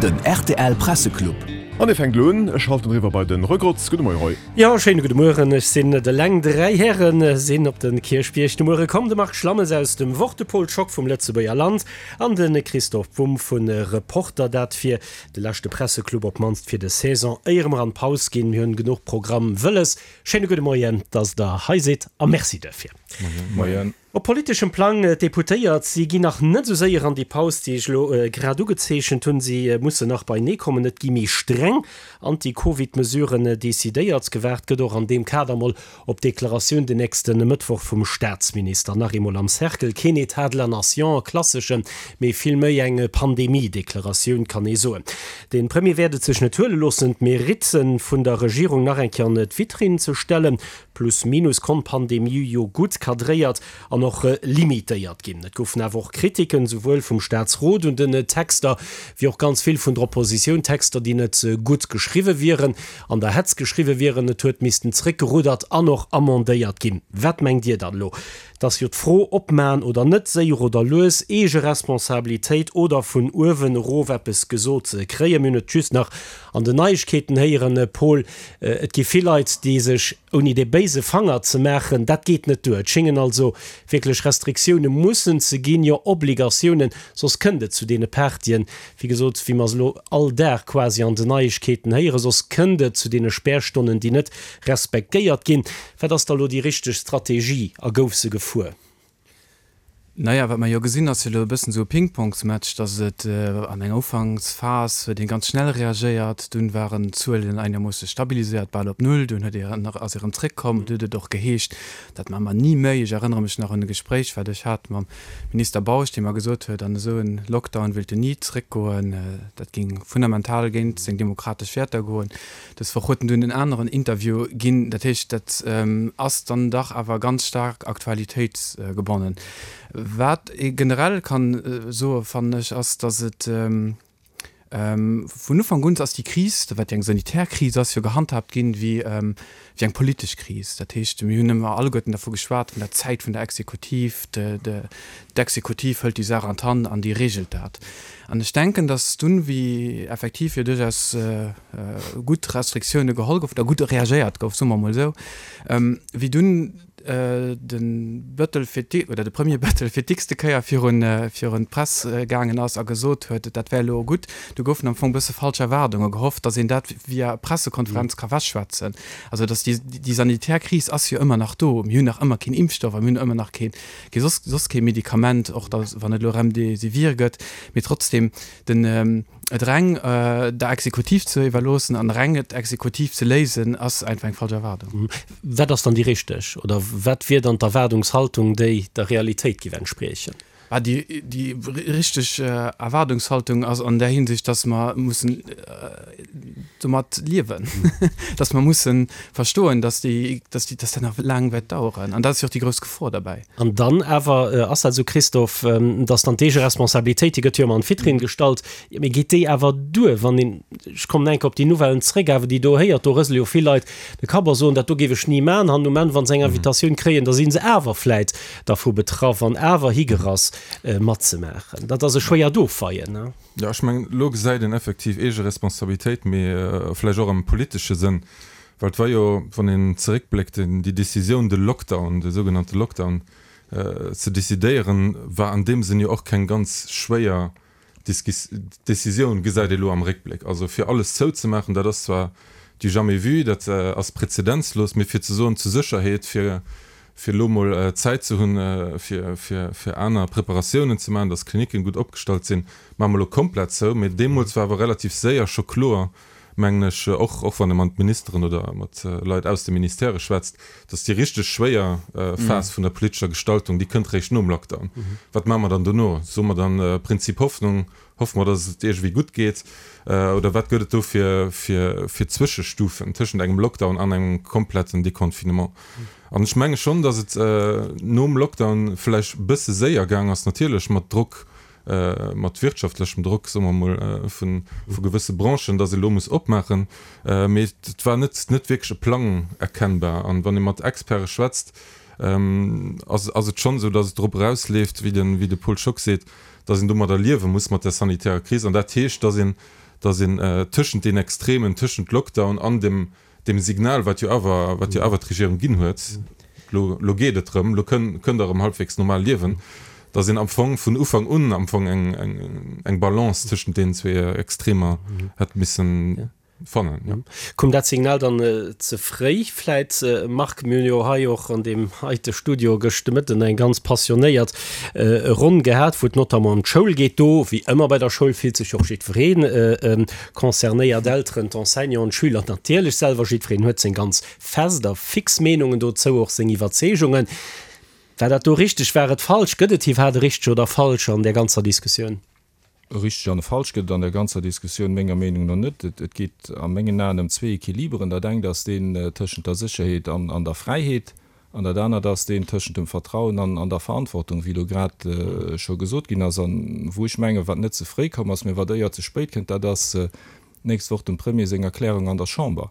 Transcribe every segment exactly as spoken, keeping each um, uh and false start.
Den rtl Presseclub. An e fänkt elo un, ech schalten eriwwer bei den Roy Grotz. Gudde Moie Roy. Jo, schéine gudde Mueren. Ech sinn et eleng. Dräi Häre sinn op de Kierchbierg de Muere komm, de Marc Schlammes aus dem Wort, de Paul Schock vum Lëtzebuerger Land an de Christoph Bumb vu Reporter. Dat fir de leschte Presseclub, op d'mannst fir des Saison, éier mer an d'Paus ginn. Mir hunn genuch Programm wëlles. Schéine gudde Moien, dass Der hei sidd a Merci duerfir. Moien. Op politeschem Plang, d'Deputéiert, si ginn nach net esou séier an déi Paus, déi ech elo grad ugezeechent hunn. Si mussen nach beienee kommen. Et gi méi streng Anti-Covid-Mesuren decidéiert. Gewaart gëtt och an deem Kader mol op d'Deklaratioun den nächste Mëttwoch vum Staatsminister. Nach eemol am Cercle, keen Etat de la nation, e klasseschen, mee vill méi eng Pandemie-Deklaratioun, kann ee soen. De Premier wäert et sech net huele loossen, d'Meritte vun der Regierung nach eng Kéier an d'Vitrinn ze stellen. Plus minus konnt d'Pandemie jo gutt cadréiert an och limitéiert ginn. Et goufen awer och Kritiken, souwuel vum Staatsrot un den Texter, wéi och ganz vill vun der Oppositioun, Texter, déi net gutt geschriwwe wieren, an der Hetz geschriwwe wieren. Et huet missten zréckgeruddert an och amendéiert ginn. Wat mengt Dir dann elo? Et ass jo d'Fro, opmaen oder net, séier oder lues, eege Responsabilitéit oder vun uewen erof eppes gesot kréien. Mir hunn et just nach an den Neiegkeeten héieren, Paul, et gi vill Leit, déi sech, ouni de béise Fanger ze maachen, dat geet net duer. Et schéngen also wierklech Restriktioune mussen ze ginn, jo Obligatiounen, soss kënnt et zu deene Partyen, wéi gesot, wéi mer se elo all Dag quasi an den Neiegkeeten héieren, soss kënnt et zu deene Spärstonnen, déi net respektéiert ginn. Wat ass da elo déi richteg Strategie a gouf se gefuer? Naja, wat mer jo gesinn, ass jo elo e bëssen esou e Pingpongsmatch, datt et an enger Ufanksphas huet ee ganz schnell reagéiert, dunn waren d'Zuelen einermoosse stabiliséiert, bal op Null, dunn huet ee nach, ass ee erëm zréckkomm, du huet et och geheescht, dat maache mer ni méi. Ech erënnere mech nach un e Gespréich, wat ech hat mam Minister Bausch, dee mer gesot huet, an esou e Lockdown wéilt en ni zréckgoen, dat géing fundamental géint seng demokratesch Wäerter goen. Dës Woch huet en dunn en aneren Interview ginn. Dat heescht, dat ass dann dach awer ganz staark aktualitéitsgebonnen. Wat ee generell kann soe fannen ech, ass, datt et vun Ufank un ass déi Kris, wat jo eng sanitär Kris ass, jo gehandhaabt ginn wéi wéi eng politesch Kris. Dat heescht, mir hunn ëmmer alleguerten dervu geschwat, vun der Zäit vun der Exekutiv, d'Exekutiv hëlt déi Saach an d'Hand an déi regelt dat. An ech denken, datt dunn, wéi effektiv jo duerchaus gutt Restriktioune geholl goufen, oder gutt reagéiert gouf, soe mer emol esou, wéi dunn de Bëttel fir d'é oder de Premier Bëttel fir d'x-te Kéier virun virun d'Press gaangen ass a gesot huet, dat wär elo gutt, do goufen am Fong e bësse falsch Erwaardunge gehofft, datt een dat via Pressekonferenz ka wechschwätzen. Also datt déi déi sanitär Kris ass jo ëmmer nach do. Mir hunn nach ëmmer keen Impfstoff a mir hunn ëmmer nach keen kee soss soss kee Medikament, och da wann et elo Remdesivir gëtt. Mee trotzdem, den et reng der Exekutiv ze iwwerloossen an reng et exekutiv ze léisen, ass einfach eng falsch Erwaardung. Wat ass dann déi richteg oder wat wier dann d'Erwaardungshaltung, déi der Realitéit géif entspriechen? Bah, déi, déi richteg Erwaardungshaltung ass an där Hinsicht, dass mer mussen domat liewen, dass mer mussen verstoen, dass déi, dass déi, dass dat nach laang wäert daueren. An dat ass jo och déi grouss Gefor derbäi. An dann awer ass dat esou, Christophe, dass dann d'Eegeresponsabilitéit, déi gëtt jo ëmmer an d'Vitrinn gestallt, jo, mee geet déi awer duer, wann een, ech kommen enk op déi Nouvellen zréck, awer déi do héiert, do rësele jo vill Leit de Kapp a soen, dat do géif ech ni maachen, an um Enn, wa se eng Invitatioun kréien, da si se awer vläit dervu betraff an awer higerass matzemaachen. Dat ass e schwéiert Ofweien, ne? Jo, ech mengen, elo gesäit een effektiv Eegeresponsabilitéit, mee vläicht och am politesche Sënn, well et war jo, wann een zeréckbléckt, déi Décisioun, de Lockdown, de sougenannte Lockdown ze decidéieren, war an deem Sënn jo och keng ganz schwéier Décisioun, gesäit ee elo am Réckbléck. Also fir alles zouzemaachen, dat ass zwar du jamais vu, dat ass prezedenzlos, mee fir ze soen, zur Sécherheet, fir fir elo mol Zäit ze hunn, fir fir fir aner Preparatiounen ze maachen, datt d'Klinicken gutt opgestallt sinn, maache mer elo komplett zou. Mee deemools war awer relativ séier scho kloer, mengen ech, och och wann ee mat Ministeren oder mat Leit aus de Ministèrë schwätzt, datt déi richteg schwéier Phas vun der politescher Gestaltung, déi kënnt réischt nom Lockdown. Wat maache mer dann dono? Soe mer dann Prinzip Hoffnung, hoffe mer, datt et iergendwéi gutt geet? Oder wat gëtt et do fir fir Zwëschestufen tëschent engem Lockdown an engem kompletten Deconfinement? An ech menge schonn, datt et nom Lockdown vläicht e bësse séier gaang ass, natierlech mat Drock, mat wirtschaftlechem Drock, soe mer emol, vu gewësse Branchen, datt ee elo muss opmaachen. Mee et war net net wierklech e Plang erkennbar. An wann ee mat Experte schwätzt, ass ass et schonn esou, datt et drop erausleeft, wéi de wéi de Paul Schock seet, datt een domadder liewe muss, mat där sanitärer Kris. An dat heescht, datt een datt een tëschent den Extremen, tëschent Lockdown an dem, dem Signal, wat jo awer, wat jo awer d'Regierung ginn huet, lo, lo geet et erëm, lo kënn, kënnt Der erëm halbwegs normal liewen, datt een am Fong vun Ufank un am Fong eng, eng, eng Balance tëschent deenen zwee Extremer hätt missen fannen. Ja. Koum dat Signal dann ze fréi vläit, Marc? Mir hunn jo hei och an deem heite Studio gëscht de Mëtten eng ganz passionéiert Ronn gehat, wou et notamment ëm d'Schoul geet. Do, wéi ëmmer bei der Schoul, fillt sech och jiddweree concernéiert, d'Elteren, d'Enseignanten, d'Schüler natierlech selwer. Jiddwereen huet seng ganz fest a fix Meenungen dozou, och seng Iwwerzeegungen. War dat do richteg, war et falsch? Gëtt et iwwerhaapt e richteg oder falsch an där ganzer Diskussioun? E richteg an e falsch gëtt et an der ganzer Diskussioun menger Meenung no net. Et geet a mengen Aen ëm zwee Equiliberen. Dat engt ass deen tëschent der Sécherheet an der Fräiheet an dat anert ass deen tëschent dem Vertrauen an der Verantwortung, wéi elo grad scho gesot ginn ass. An wou ech mengen, wat net ze fréi komm ass, mä wat éier ze spéit kënnt, dat ass d'nächst Woch dem Premier seng Erklärung an der Chamber.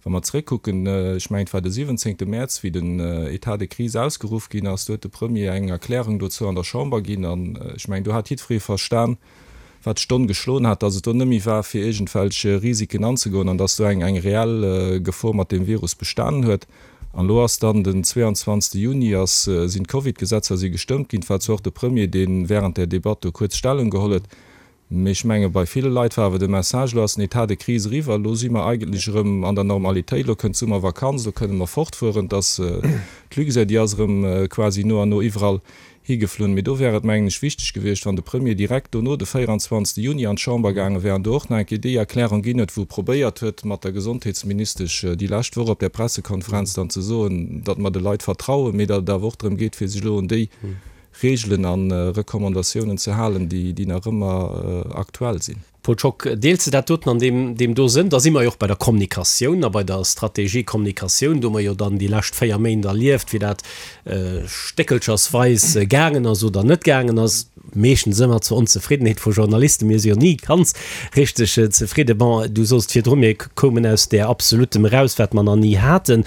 Wa mer zeréckkucken, ech mengen, et war de siwwenzéngte Mäerz, wéi den État de crise ausgeruff ginn ass, do huet de Premier eng Erklärung dozou an der Chamber ginn. An ech mengen, do hat jiddweree verstan, wat d'Stonn geschloen hat, datt et do net méi war, fir iergendwelch Risiken anzegoen an datt do eng eng reell Gefor mat deem Virus bestanen huet. An elo ass dann den zweeanzwanzegste Juni ass, sinn d'Covid-Gesetzer si gestëmmt ginn. Et war zwar och de Premier, dee während där Debatt do kuerz Stellung geholl huet, Mee ech menge bei ville Leit war awer de Message, elo ass den Etat de crise eriwwer, elo si mer eigentlech erëm an der Normalitéit, elo kënnt d'Summervakanz, elo kënne mer fortfueren. Et ass d'Luxair, déi ass erëm quasi no an no iwwerall higeflunn. Mee do wär et, mengen ech, wichteg gewiescht, wann de Premier direkt dono, de véieranzwanzegste Juni, an d'Chamber gaange wär an do och nach eng Kéier déi Erklärung ginn huet, wou e probéiert huet, mat der Gesondheetsministesch déi lescht Woch op där Pressekonferenz dann ze soen, datt mer de Leit vertrauen, mee datt et awer och drëm geet, fir sech elo un déi Reegelen a Recommandatiounen ze halen, déi nach ëmmer aktuell sinn. Paul Schock, Deels de dat doten an deem do Sënn? Da si mer jo och bei der Kommunikatioun a bei der Strategie Kommunikatioun. Do hu mer jo dann déi lescht véier Méint erlieft, wéi dat stéckelchersweis gaangen ass oder net gaangen ass, meeschtens ëmmer zur Onzefriddenheet vu Journalisten. Mir si jo ni ganz richteg zefridden. Bon, du soss virdru, mir koumen aus där Absolutem eraus, wat mer nach ni haten.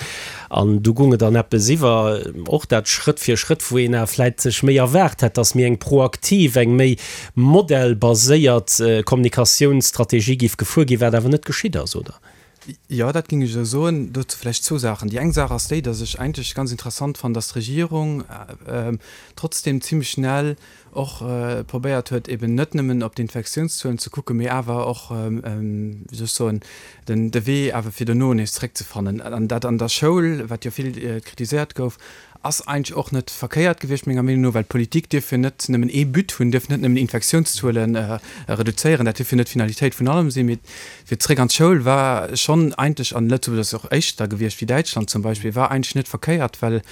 An du gung et an eppes iwwer, och dat Schrëtt fir Schrëtt, wou een awer vläit sech méi erwaart hätt, dass méi eng proaktiv, eng méi modellbaséiert Kommunikatiounsstrategie géif gefuer ginn, wat awer net geschitt ass, oder? Jo, dat géing ech esou soen. Dozou vläicht zwou Saachen. Déi eng Saach ass déi, dass ech eigentlech ganz interessant fannen, dass d'Regierung trotzdem zimmlech schnell och probéiert huet, eben net nëmmen op d'Infektiounszuelen ze kucken, mee awer och, wéi soll ech soen, den de Wee awer fir dono nees zréckzefannen. An dat an der Schoul, wat jo vill kritiséiert gouf, ass eigentlech och net verkéiert gewiescht, menger Meenung no, well d'Politik dierf jo net nëmmen ee But hunn, dierf net nëmmen Infektiounszuele reduzéieren, dat dierf jo net d'Finalitéit vun allem sinn. Mee fir zréck an d'Schoul war schonn eigentlech, an Lëtzebuerg ass och éischter gewiescht wéi Däitschland zum Beispill, war eigentlech net verkéiert, well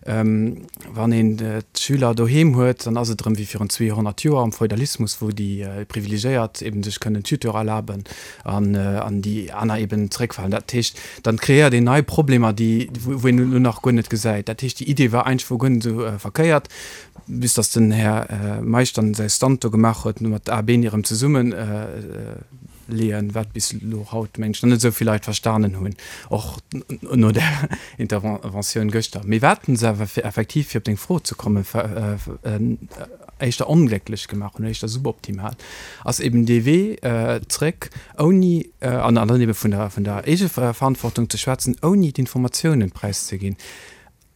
Wann een d'Schüler doheem huet, dann ass et erëm wéi virun zweehonnert Joer am Feudalismus, wou déi Privilegéiert eben sech kënnen Tuteur erlaben an déi aner eben zeréckfalen. Dat heescht, dann kreéiert een nei Problemer, déi, wou een elo nach guer net gesäit. Dat heescht, déi Idee war eigentlech guer net esou verkéiert, bis datt den Här Meisch dann säi Stunt do gemaach huet mat A Been erëm zesummen. Leeën, wat bis elo haut, mengen ech, nach net esou vill Leit verstanen hunn, och no där Interventioun gëschter. Mee wat se awer effektiv, fir op deng Fro ze kommen, éischter onglécklech gemaach hunn, éischter suboptimal, ass eben dee Wee zréck ouni, an dann ebe vun der, vun der Eegeverantwortung ze schwätzen, ouni d'Informatiounen präiszeginn.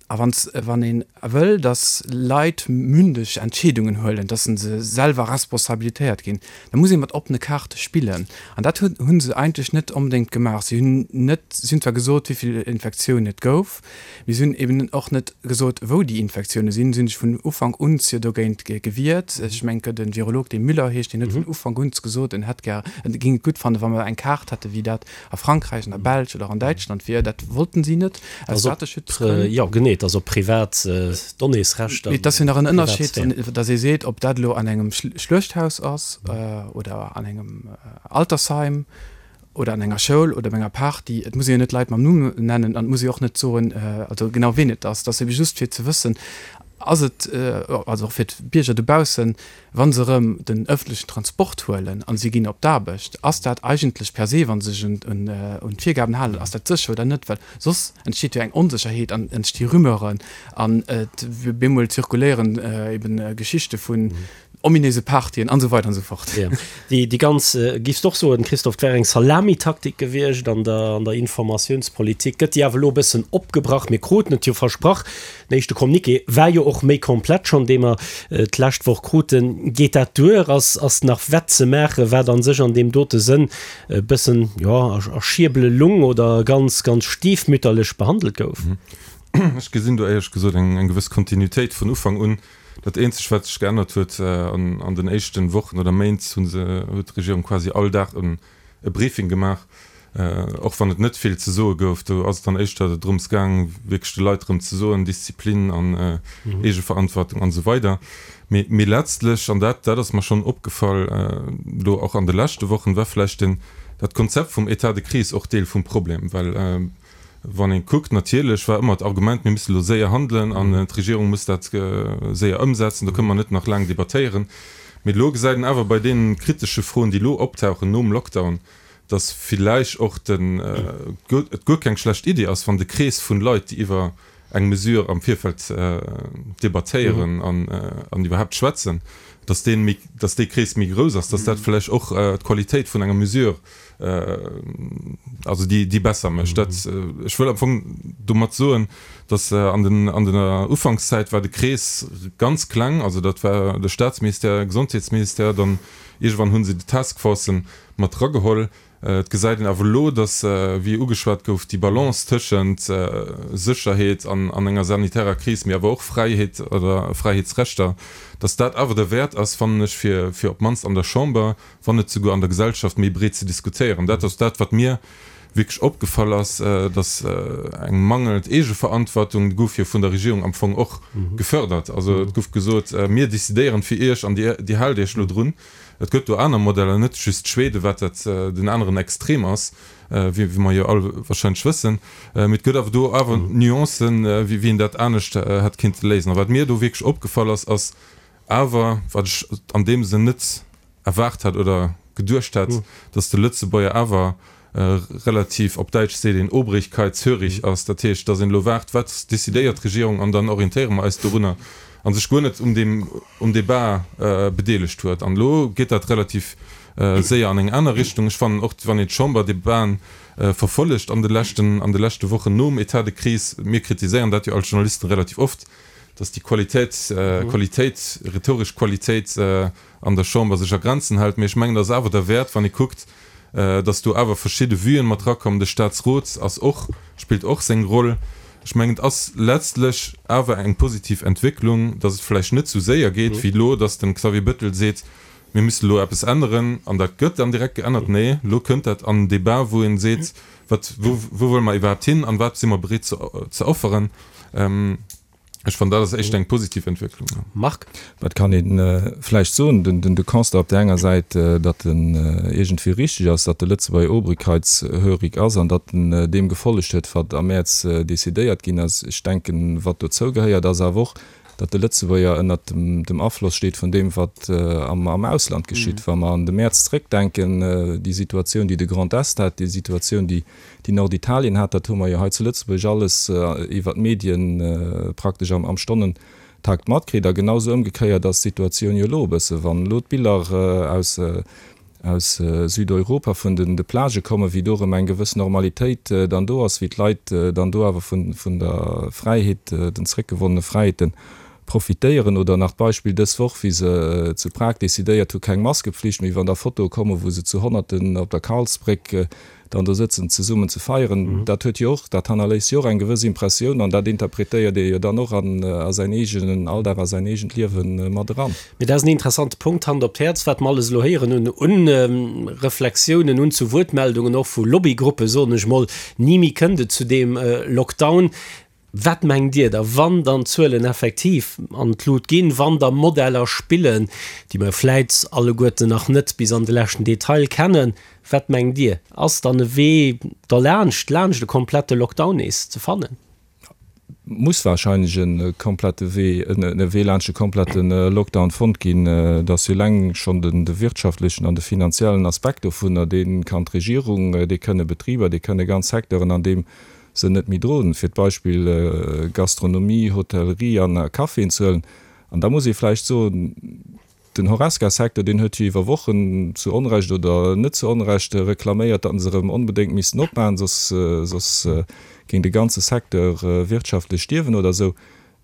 A wann ee wëll, datt Leit mündeg Entscheedungen huelen, datt se selwer responsabilitéiert ginn, da muss ee mat oppene Kaarte spillen. An dat hu se eigentlech net onbedéngt gemaach. Si hunn net, si hunn zwar gesot, wéi vill Infektiounen et gouf, mee si hunn eben och net gesot, wou déi Infektioune sinn. Si hunn sech vun Ufank un jo dogéint gewiert. Ech mengen, et gëtt e Virolog, dee Müller heescht, deen huet vun Ufank un gesot, en hätt gär, en géing et gutt fannen, wa mer eng Kaart hätten, wéi dat a Frankräich, an der Belsch oder an Däitschland wier. Dat wollten si net aus Dateschutzgrënn. Jo, genee, et ass op privat Donnéesrechter. Mee et ass jo nach en Ënnerscheed, datt ee seet, ob dat elo an engem Schluechthaus ass oder an engem Altersheim oder an enger Schoul oder op enger Party. Et muss ee jo net d'Leit mam Numm nennen an et muss ee och net soen, also genau ween et ass. Et ass ebe just fir ze wëssen, ass et, also och fir d'Bierger dobaussen, wa se erëm den ëffentlechen Transport huelen a si ginn op d'Aarbecht, ass dat eigentlech per se, wa se sech un d'Virgaben halen, ass dat sécher oder net? Well soss entsteet jo eng Onsécherheet an entsti Rumeuren an et bemol zirkuléieren eben Geschichte vun ominéise Partyen an esou weider an esou fort. Jo, déi, déi ganz, giffs de och soen, Christophe, 't wär eng Salamitaktik gewiescht an der, an der Informatiounspolitik. Gëtt déi awer elo e bëssen opgebrach? Mir kruten et jo versprach, den éischte Communiqué war jo och méi komplett schonn, dee mer d'lescht Woch kruten. Geet dat duer? Ass, ass nach wett ze maachen, wat a sech an deem dote Sënn e bëssen, jo, a, a Schierbele lung oder ganz, ganz stiefmütterlech behandelt gouf? Ech gesinn do éierlech gesot eng, eng gewëss Kontinuitéit vun Ufank un. Dat eenzegt, wat sech geännert huet, an, an den éischten Wochen oder Méint hu se, huet d'Regierung quasi all Dag en, e Briefing gemaach, och wann et net vill ze soe gouf. Do ass et dann éischter drëms gaang, wierklech de Leit erëm ze soen, Disziplin an Eegeverantwortung an esou weider. Mee, mee letztlech, an dat, dat ass mer schonn opgefall elo och an de leschte Wochen, war vläicht den, dat Konzept vum État de crise och Deel vum Problem, well wann ee kuckt, natierlech war ëmmer d'Argument, mir musse elo séier handelen an d'Regierung muss dat séier ëmsetzen, do kënne mer net nach laang debattéieren. Mee elo gesäit een awer bei deene kritesche Froen, déi elo optauchen nom Lockdown, datt villäicht och den, et guer keng schlecht Iddi ass, wann de Krees vun Leit, déi iwwer eng Mesure am Virfeld debattéieren an iwwerhaapt schwätzen, datt dee méi, datt dee Krees méi grouss ass, datt dat vläicht och d'Qualitéit vun enger Mesure, also déi, déi besser mécht. Dat, ech wëll am Fong domat soen, datt an den, an der Ufankszäit war de Krees ganz kleng, also dat war de Staatsministère, Gesondheetsministère, dann iergendwann hu se déi Taskforcen mat erageholl. Et gesäit een awer elo, datt, wéi ugeschwat gouf, déi Balance tëschent Sécherheet an enger sanitärer Kris, mee awer och Fräiheet oder Fräiheetsrechter, datt dat awer derwäert ass, fannen ech, fir fir op d'mannst an der Chamber, wann net souguer an der Gesellschaft méi breet ze diskutéieren. Dat ass dat, wat mir wierklech opgefall ass, datt eng mangelnd Eegeverantwortung, déi gouf jo vun der Regierung am Fong och gefördert. Also et gouf gesot, mir decidéieren fir Iech an Dir haalt Iech elo drun. Et gëtt do aner Modeller, net just Schweden, wat dat den aneren Extrem ass, wéi mer jo all wahrscheinlech wëssen. Mee et gëtt awer do awer Nuancen, wéi een dat anescht hätt kéinte léisen. A wat mir do wierklech opgefall ass, ass awer, wat ech an deem Sënn net erwaart hat oder geduecht hätt, dass de Lëtzebuerger awer relativ, op Däitsch seet een, obrigkeitshörig ass. Dat heescht, dass een elo waart, wat decidéiert d'Regierung an dann orientéiere mer eis dorunner, a sech guer net um deem, um Débat bedeelegt huet. An elo geet dat relativ séier an eng aner Richtung. Ech fannen och, wann een d'Chamberdebaten verfollegt an de leschten, an de leschte Wochen nom État de crise, mir kritiséieren dat jo als Journalisten relativ oft, dass déi Qualitéit, Qualitéit, rhetoresch Qualitéit an der Chamber sech a Grenzen hält. Mee ech mengen, dat ass awer derwäert, wann ee kuckt, dass do awer verschidde Vuen mat erakommen. De Statsrot ass och, spillt och seng Roll. Ech mengen, et ass letztlech awer eng positiv Entwécklung, dass et vläicht net esou séier geet wéi elo, dass de Xavier Bettel seet, mir müssen elo eppes änneren an dat gëtt dann direkt geännert. Nee, elo kënnt dat an en Débat, wou ee seet, wat, wou, wou wëlle mer iwwerhaapt hin an wat si mer bereet ze, ze offeren. Ech fannen, dat ass éischter eng positiv Entwécklung. Marc? Wat kann ee vläicht soen? Den de Constat op där enger Säit, datt en iergendwéi richteg ass, datt de Lëtzebuerger obrigkeitshörig ass an datt en deem gefollegt huet, wat am Mäerz decidéiert ginn ass. Ech denken, wat dozou gehéiert, ass awer och, datt de Lëtzebuerger ënnert dem Afloss steet vun deem, wat am Ausland geschitt. Wa mer an de Mäerz zréckdenken, déi Situatioun, déi de Grand Est hat, déi Situatioun, déi Norditalien hat, dat hu mer jo hei zu Lëtzebuerg alles iwwer d'Medien praktesch am Stonnentakt matkritt. A genau esou ëmgekéiert ass d'Situatioun jo elo e bësse. Wann elo d'Biller aus aus Südeuropa vun den de Plagë kommen, wéi do erëm eng gewëss Normalitéit dann do ass, wéi d'Leit dann do awer vun vun der Fräiheet, den zréckgewonnene Fräiheeten profitéieren. Oder nach d'Beispill dës Woch, wéi se zu Prag decidéiert hu keng Maskepflicht méi, wann da Fotoe kommen, wou se zu Honnerten op der Karlsbréck dann do sëtzen zesummen ze feieren, dat huet jo och, dat hannerléisst jo och eng gewëss Impressioun an dat interpretéiert ee jo dann och an a säin eegenen Alldag, a säin eegent Liewe mat eran. Mee dat ass en interessante Punkt, Hand op d'Häerz, wat mer alles elo héieren hunn un Reflexiounen, un zu Wuertmeldungen och vu Lobbygruppen, soen ech mol, ni méi kënnt et zu deem Lockdown. Wat mengt Dir da, wann dann d'Zuelen effektiv an d'Lut ginn, wann da Modeller spillen, déi mer vläit alleguerten nach net bis an de leschten Detail kennen, wat mengt Dir, ass dann e Wee derlaanscht, laanscht e komplette Lockdown nees ze fannen? Muss wahrscheinlech e komplette Wee, e Wee laanscht e komplette Lockdown fonnt ginn. Et ass jo eleng schonn den de wirtschaftlechen an de finanziellen Aspekt dovunner, dee kann d'Regierung, dee kënne Betriber, dee kënne ganz Secteuren an deem Sënn net méi droen, fir d'Beispill Gastronomie, Hotellerie an Caféen ze huelen. An da muss ee vläicht soen, Den Horesca-Secteur, deen huet jo iwwer Wochen, zu Onrecht oder net zu Onrecht, reklaméiert, datt se erëm onbedéngt missten opmachen, soss, soss géing de ganze Secteur wirtschaftlech stierwen oder esou.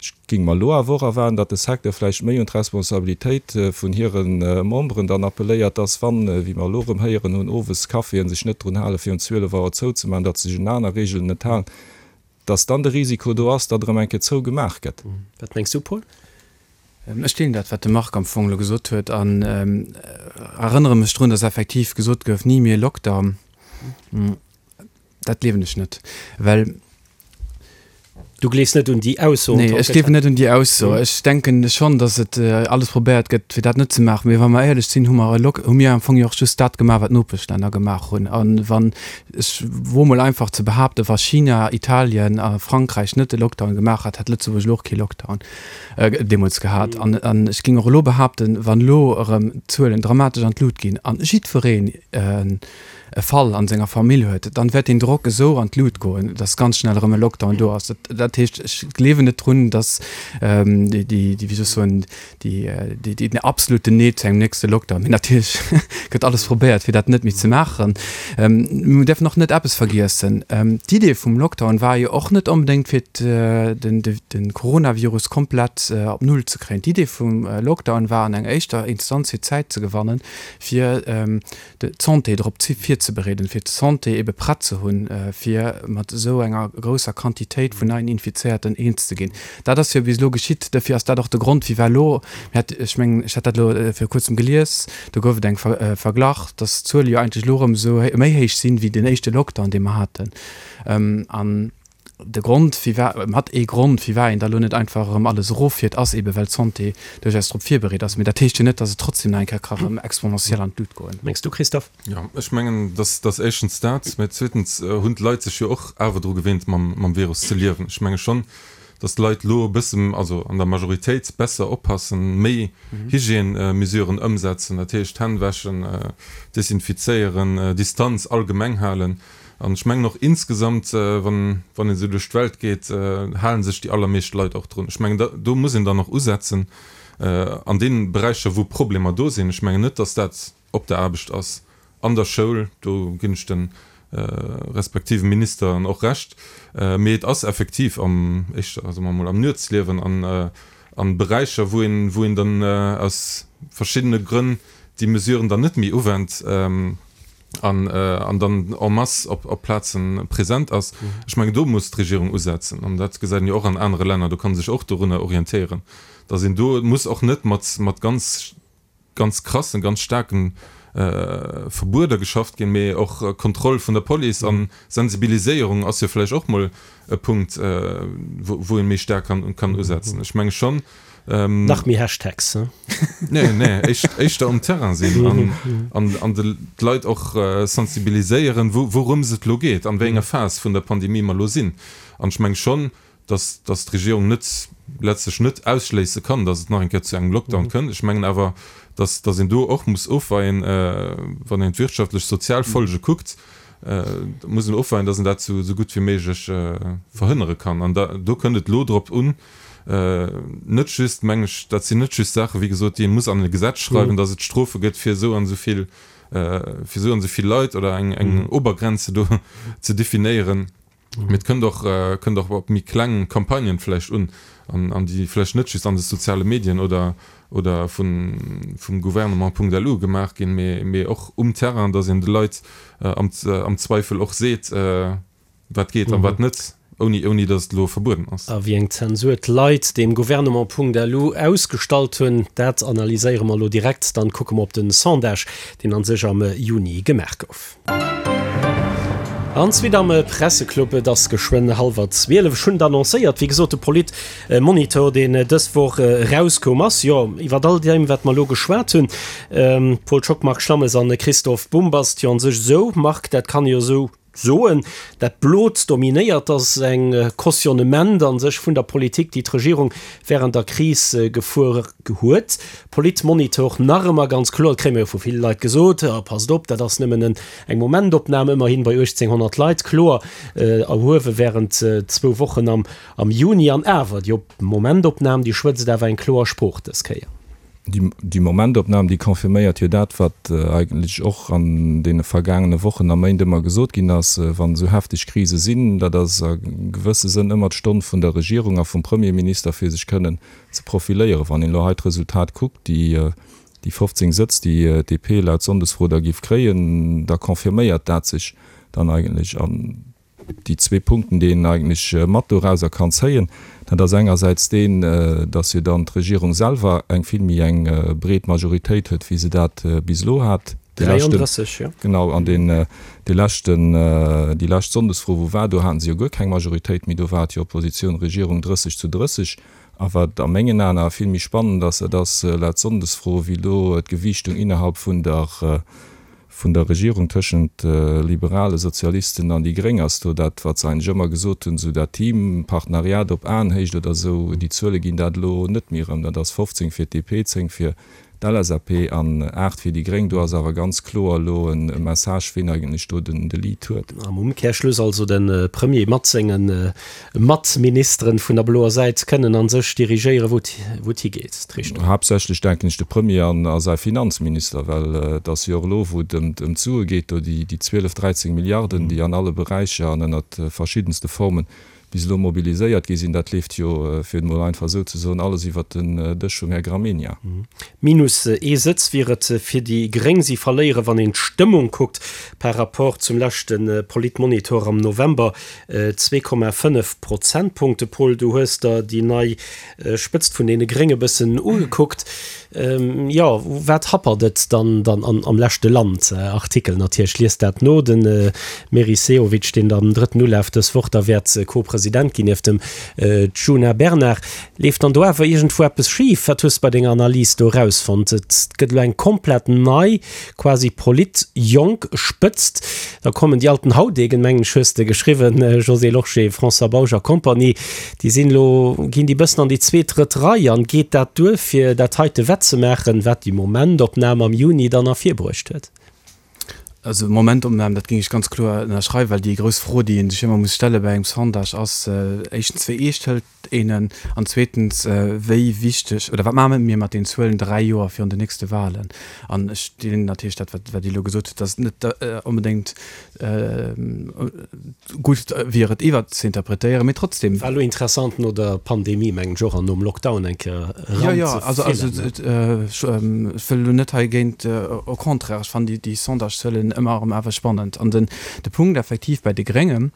Ech géing mer elo awer och erwaarden, datt de Secteur vläicht méi un d'Responsabilitéit vun hire Memberen dann appelléiert, datt wann, wéi mer elo erëm héieren hunn, owes Caféen sech net drun halen, fir um zwielef Auer zouzemaachen, datt se sech un aner Regeln net halen, datt dann de Risiko do ass, datt erëm eng Kéier zougemaach gëtt. Wat mengs du, Paul? Ech deelen dat, wat de Marc am Fong elo gesot huet an erënnere mech drun, datt effektiv gesot gouf, Ni méi Lockdown. Dat gleewen ech net, well. Du gleefs net un déi Ausso? Nee, ech gleewen net un déi Ausso. Ech denken schonn, datt et alles probéiert gëtt, fir dat net ze maachen. Mee wa mer éierlech sinn, hu mer e Lock, hu mir am Fong jo och just dat gemaach, wat d'Nopeschlänner gemaach hunn. A wann, ech woe mol einfach ze behaapten, wa China, Italien a Frankräich net de Lockdown gemaach hätt, hätt Lëtzebuerg elo och kee Lockdown deemools gehat. An ech géing och elo behaapten, wann elo erëm d'Zuelen dramatesch an d'Lut ginn a jiddwereen, e Fall an senger Famill huet, dann wäert deen Drock esou an d'Lut goen, dass ganz schnell erëm e Lockdown do ass. Dat heescht, ech gleewen net drun, dass déi, déi, wéi soll ech soen, déi, déi, den absoluten Nee zu engem nächste Lockdown, mee natierlech gëtt alles probéiert, fir dat net méi ze maachen. Mir däerfen och net eppes vergiessen, D'Idee vum Lockdown war jo och net onbedéngt, fir den, de Coronavirus komplett op Null ze kréien. D'Idee vum Lockdown war an enger éischter Instanz, fir Zäit ze gewannen, fir d'Santé drop virzebereeden, fir d'Santé ebe prett ze hunn, fir mat esou enger grousser Quantitéit vun neien Infizéierten eens ze ginn. Dat ass jo bis elo geschitt. Dofir ass dat och de Grond, firwat elo, mir hat, ech mengen, ech hat dat elo viru kuerzem gelies, do gouf et eng Verglach, dass d'Zuele jo eigentlech elo erëm esou méi héich sinn, wéi den éischte Lockdown, dee mer haten. An de Grond, firwat, mat ee Grond, firwat een da lo net einfach erëm alles eroffiert, ass eebe well d'Santé duerchaus drop virbereet ass. Mee dat heescht jo net, datt et trotzdem nach eng Kéier ka erëm exponentiell an d'Lut goen. Mengs du, Christophe? Jo, ech mengen, dass dass éischtens dat, mä zweetens hunn d'Leit sech jo och awer dru gewinnt, mam mam Virus ze liewen. Ech menge schonn, dass d'Leit lo e bësse, also an der Majoritéit, besser oppassen, méi Hygiène-Mesuren ëmsetzen, dat heescht Hänn wäschen, desinfizéieren, Distanz allgemeng halen. An ech mengen och insgesamt, wann een esou duerch d'Welt geet, hale sech déi allermeescht Leit och drun. Ech mengen, do muss een dann och usetzen an deene Beräicher, wou Problemer do sinn. Ech mengen net, datt dat op der Aarbecht ass, an der Schoul, do ginn ech de respektive Ministeren och Recht, mee et ass effektiv am, éischter, soe mer emol, am Nuetsliewen an a Beräicher, wou een, wou een dann aus verschiddene Grënn déi Mesuren dann net méi uwennt. an an dann en masse op op Plazen present ass. Ech mengen, do muss d'Regierung usetzen, an dat gesäit een jo och an anere Länner, do kann ee sech och dorunner orientéieren, datt een do muss och net mat mat ganz ganz krassen, ganz staarken Verbueder geschafft ginn, mee och Kontroll vun der Police an Sensibiliséierung ass jo vläicht och mol e Punkt, wou wou ee méi staark kann kann usetzen. Ech menge schonn, Nach méi Hashtags, he? Nee, nee, éischter um Terrain sinn an an d'Leit och sensibiliséieren, wourëms et elo geet, an wéi enger Phas vun der Pandemie mer elo sinn. An ech menge schonn, dass dass d'Regierung net, letztlech net ausschléisse kann, dass et nach eng Kéier zu engem Lockdown kënnt. Ech mengen awer, dass dass een do och muss ofweien, wann een d'wirtschaftlech, sozial Folge kuckt, muss een ofweien, dass een dat esou gutt wéi méiglech verhënnere kann. An do kënnt et elo drop un, net just, meng ech, dat sinn net just Saachen, wéi gesot, déi ee muss an e Gesetz schreiwen, dass et Strofe gëtt fir esou an esou vill, fir esou an esou vill Leit oder eng, eng Obergrenze do ze definéieren, mee et kënnt och, kënnt och op méi kleng Campagnen vläicht un, an, an déi vläicht net just an de soziale Medien oder, oder vun, vum Gouvernement.lu gemaach ginn, mee, mee och um Terrain, dass een de Leit am, am Zweifel och seet, wat geet a wat net. Ouni, ouni datt et elo verbueden ass. A wéi eng Zensur d'Leit dem Gouvernement.lu ausgestallt hunn, dat analyséiere mer elo direkt. Dann kucke mer op den Sondage, deen an sech am Juni gemaach gouf. An d'Suite am Presseclub. Et ass geschwënn hallwer zwielef. Ech hunn et annoncéiert, wéi gesot, de Politmonitor, deen dës Woch erauskoum ass, jo, iwwer all deem, wat mer elo geschwat hunn, Paul Schock, Marc Schlammes an Christophe Bombast, jo, an sech esou, Marc, dat kann ee jo esou soen, dat Blot dominéiert, ass eng Cautionnement a sech vun der Politik, déi d'Regierung während der Kris gefuer huet. Politmonitor nach ëmmer ganz kloer, dat kréie mer jo vu ville Leit gesot, passt op, dat ass nëmmen eng Momentopnam, ëmmerhin bei uechtzénghonnert Leit, kloer erhuewe während zwou Wochen am Juni. An awer, déi Momentopnam, déi schwätzt awer eng kloer Sprooch dës Kéier. Déi Momentopnam, déi confirméiert jo dat, wat eigentlech och an deene vergaangene Wochen a Méint ëmmer gesot ginn ass, Wann esou hefteg Krise sinn, dat ass a gewësse Sënn ëmmer d'Stonn vun der Regierung a vum Premierminister, fir sech kënnen ze profiléieren. Wann een elo hei d'Resultat kuckt, déi fofzéng Sëtz, déi d'DP laut Sonndesfro da géif kréien, da confirméiert dat sech dann eigentlech. An déi zwee Punkten, déi een eigentlech mat dorauser kann zéien, dat ass engersäits deen, dass jo dann d'Regierung selwer eng vill méi eng breet Majoritéit huet, wéi se dat bis elo hat. Dee leschten, dräianddrësseg, jo. Genau, an deen, dee leschten, déi lescht Sonndesfro, wou war, do haten se jo guer keng Majoritéit méi, do war et jo Oppositioun, Regierung drësseg zu drësseg. A wat a mengen Aen awer vill méi spannend ass, dat ass laut Sonndesfro, wéi elo d'Gewiichtung innerhalb vun der, vun der Regierung tëschent Liberale, Sozialisten an déi Gréng ass do dat, wat se eigentlech ëmmer gesot hunn, esou dat Team, Partenariat op Aenhéicht oder esou, déi Zuele ginn dat elo net méi erëm. Dat ass fofzéng fir d'DP, zéng fir d'LSAP an aacht fir déi Gréng. Do ass awer ganz kloer elo e Message, ween eigentlech do den Lead huet. Am Umkehrschluss also de Premier mat senge Matministeren vun der bloer Säit kënnen a sech dirigéieren, wou et higeet, d'Richtung. Haaptsächlech denken ech de Premier an a säi Finanzminister, well et ass jo och elo, wou et ëm d'Sue geet, do déi zwielef, dräizéng Milliarden, déi an alle Beräicher an ënnert verschiddenste Formen bis elo mobiliséiert gi sinn, dat leeft jo, fir et emol einfach esou ze soen, alles iwwert den Dësch vum Här Gramegna. Minus ee Sëtz wier et fir déi Gréng. Si verléieren, wann een d'Stëmmung kuckt par rapport zum leschte Politmonitor am November, zwee Komma fënnef Prozentpunkte. Paul, du hues der déi nei Spëtzt vun deene Grénge bëssen ugekuckt. Jo, wat happert et dann dann am leschte Land-Artikel natierlech? Liest dat no. De Meris Sehovic, deen am drëtten Ulaf dës Woch da wäert Co-President ginn nieft dem Djuna Bernard. Leeft dann do awer iergendwou eppes schif? Wat hues de bei denger Analys do erausfonnt? Et gëtt elo eng komplett nei, quasi polit-jonk Spëtzt. Da kommen die alten Haudegen, mengen ech hues de geschriwwen, Josée Lorsché, François Bausch a Compagnie, déi sinn elo, ginn déi bëssen an déi zweet, drëtt Rei an geet dat duer fir dat heite wettzemaachen, wat déi Momentopnam am Juni dann ervirbruecht huet? Also Momentopnam, dat géing ech ganz kloer ënnerschreiwen, well déi grouss Fro, déi ee sech ëmmer muss stelle bei engem Sondage ass, éischtens, wéi eescht hëlt een en? An zweetens, wéi wichteg oder wat maache mir mat den Zuelen dräi Joer virun den nächste Wahlen? An ech deelen natierlech dat, wat Dir elo gesot hutt, dass et net onbedéngt gutt wier, et iwwer ze interpretéieren, mee trotzdem. War elo interessant no der Pandemie, mengen ech och, an nom Lockdown eng Kéier eran ze fillen. Jo, jo, also ech wëll elo net hei géint, au contraire, ech fannen déi Sondage-Zuelen ëmmer erëm awer spannend. An den de Punkt effektiv bei de Gréngen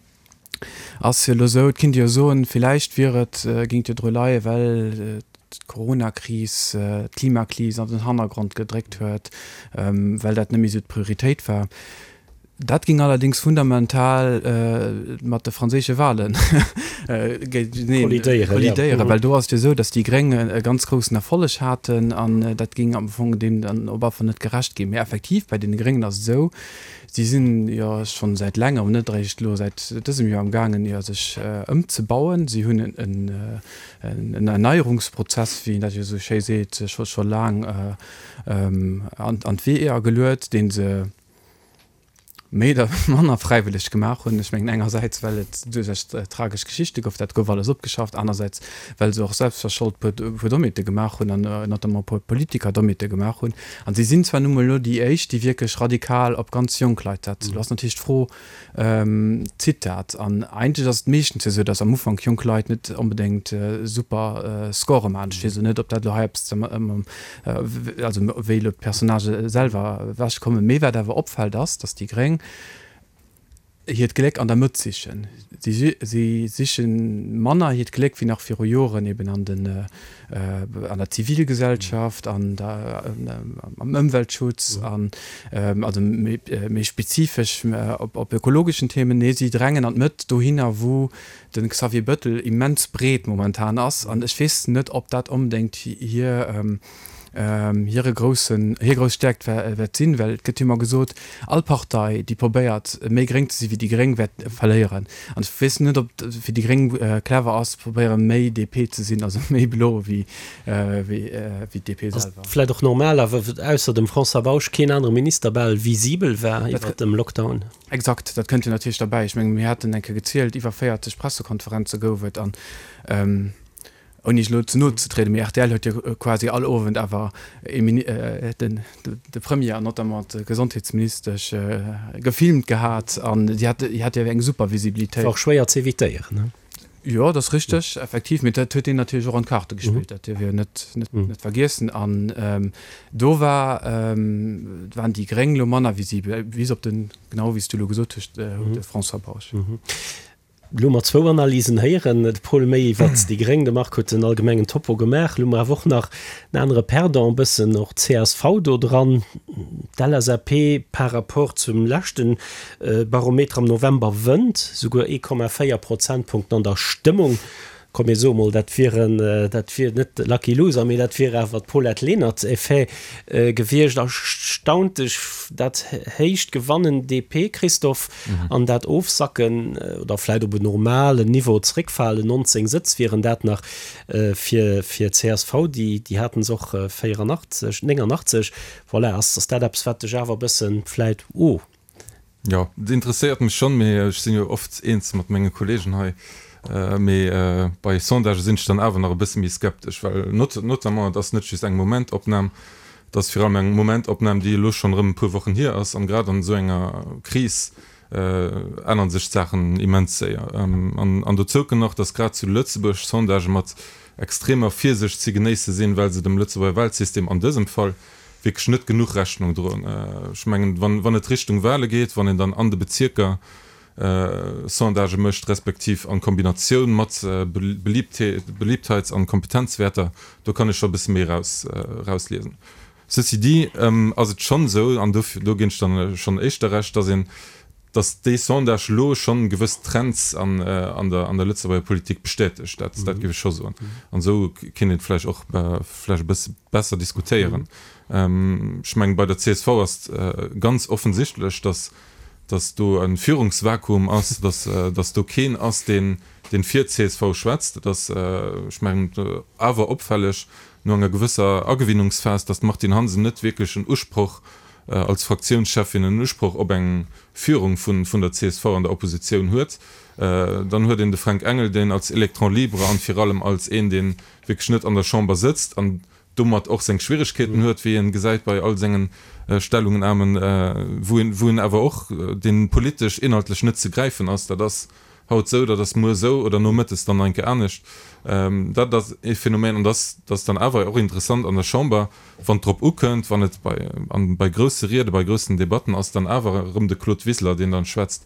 ass jo elo esou, et kinnt ee jo soen, villäicht wier et, géing et jo dru leien, well d'Coronakris d'Klimakris an den Hannergrond gedréckt huet, well dat net méi esou d'Prioritéit war. Dat géing allerdéngs fundamental mat de franséische Wahle kollidéieren, well do ass et jo esou, datt déi Gréng e ganz groussen Erfolleg haten an dat géing am Fong deem dann op alle Fall net gerecht ginn. Mee effektiv, bei deene Gréngen ass et esou, si sinn jo schonn säit längerem, net eréischt elo säit dësem Joer amgaangen, jo sech ëmzebauen. Si hunn en Erneierungsprozess, wéi een dat jo esou schéi seet, scho laang an d'Weeër geluet, dee se méi oder manner fräiwëlleg gemaach hunn. Ech mengen engersäits, well et duerchaus tragesch Geschichte gouf, dat gouf alles opgeschafft, anersäits, well se och selbstverschold puer puer Dommheete gemaach hunn an notamment e puer Politiker Dommheete gemaach hunn. An si sinn zwar nu mol elo déi éischt, déi wierklech radikal op ganz jonk Leit setzen. Elo ass natierlech d'Fro, Zitt dat? An eigentlech ass et meeschtens jo esou, datt am Ufank jonk Leit net onbedéngt super Score maachen. Ech weess elo net, ob dat elo hei eppes also wéi elo d'Personnagë selwer ewechkommen. Mee wat awer opfält ass, datt déi Gréng hiert Gléck an der Mëtt sichen. Si si siche manner hiert Gléck wéi nach viru Joren eben an den an der Zivilgesellschaft, an der am Ëmweltschutz an also méi méi spezifesch op op ökologeschen Themen. Nee, si drängen an d'Mëtt, dohinner wou de Xavier Bettel immens breet momentan ass. An ech weess net, ob dat onbedéngt hir hire groussen, hir grouss Stäerkt wäert sinn, well et gëtt jo ëmmer gesot, all Partei, déi probéiert, méi gréng ze si wéi déi Gréng, wäert verléieren. An ech weess net, ob et fir déi Gréng clever ass, probéieren, méi D P ze sinn, also méi blo wéi d'D P Ass selwer. vläicht och normal, awer ausser dem François Bausch keen anere Minister bal visibel war iwwert dem Lockdown. Exakt, dat kënnt jo natierlech derbäi. Ech mengen, mir haten eng Kéier gezielt, iwwer véierzeg Pressekonferenze gouf et an Ouni elo ze no ze trieden, mee rtl huet jo quasi all Owend awer ee Mini, den, de Premier an notamment d'Gesondheetsministesch gefilmt gehat an déi hat, déi hat jo eng super Visibilitéit. War och schwéier ze evitéieren, ne? Jo, dat ass richteg, effektiv, mee dat huet een natierlech och an d'Karte gespillt, dat dierf een net, net, net vergiessen. An do war, waren déi Gréng elo manner visibel, bis op den, genau wéi s du elo gesot hues, de François Bausch. Elo hu mer zwou Analysen héieren, de Paul méi iwwert déi Gréng, de Marc huet den allgemengen Topo gemaach. Elo hu mer awer och nach en anere Perdant, e bëssen och d'CSV do dran, d'LSAP par rapport zum leschte Barometer am November wënnt souguer ee Komma véier Prozentpunkten an der Stëmmung. Komm mir soe mol, dat wieren, dat wier net de Lucky Loser, mee dat wier awer d'Paulette Lenert-Effet gewiescht. Erstaunt dech dat héicht Gewannen DP, Christophe, an dat Ofsacken oder vläit op en normalen Niveau zréckfalen, nonzéng Sëtz wieren dat nach fir fir csv, déi déi haten se och véierannachtzeg, néngannachtzeg. Voilà, ass ass dat eppes, wat dech awer e bëssen vläit, oh. Jo, et interesséiert mech schonn, mee ech sinn jo oft eens mat menge Kollegen hei. Mee bei Sondagë sinn ech dann awer nach e bësse méi skeptesch, well notamment et ass net just eng Momentopnam, et ass virun allem eng Momentopnam, déi elo schonn erëm e puer Wochen hier ass. An grad an esou enger Kris ännere sech d'Saachen immens séier. An dozou kënnt nach, datt grad zu Lëtzebuerg Sondagë mat extremer Virsicht ze genéisse sinn, well se dem Lëtzebuerger Wahlsystem an dësem Fall wierklech net genuch Rechnung droen. Ech mengen, wann et Richtung Wahle geet, wann een dann an de Bezierker Sondagë mécht, respektiv an Kombinatioun mat Beliebtheits an Kompetenzwäerter, do kann ech scho e bësse méi erausliesen. Ceci dit ass et schonn esou, an do ginn ech dann schonn éischter Recht, datt een, datt dee Sondage elo schonn gewëss Trends an der an der Lëtzebuerger Politik bestätegt. Dat dat géif ech scho soen. An esou kéint een et vläicht och vläicht e bësse besser diskutéieren. Ech mengen, bei der csv ass et ganz offensichtlech, datt datt do e Führungsvakuum ass, datt datt do keen ass, deen deen fir d'CSV schwätzt. Et ass, ech mengen, awer opfälleg no enger gewësser Agewinnungsphas, datt d'Martine Hansen net wierklech en Usproch als Fraktiounscheffin en Usproch op eng Führung vun vun der csv an der Oppositioun huet. Dann huet een de Fränk Engel, deen als Électron libre an vir allem als een, dee wierklech net an der Chamber sëtzt an domat och seng Schwieregkeeten huet, wéi een gesäit bei all sengen Stellungnahmen, wou een wou een awer och, deen politesch inhaltlech net ze gräifen ass. Dat ass haut esou, dat ass muer esou oder nomëttes dann nach eng Kéier anescht. Dat ass ee Phänomen an dat ass dann awer och interessant an der Chamber, wann et drop ukënnt, wann et bei an bei grousse Riede, bei groussen Debatten ass dann awer erëm de Claude Wiseler, deen dann schwätzt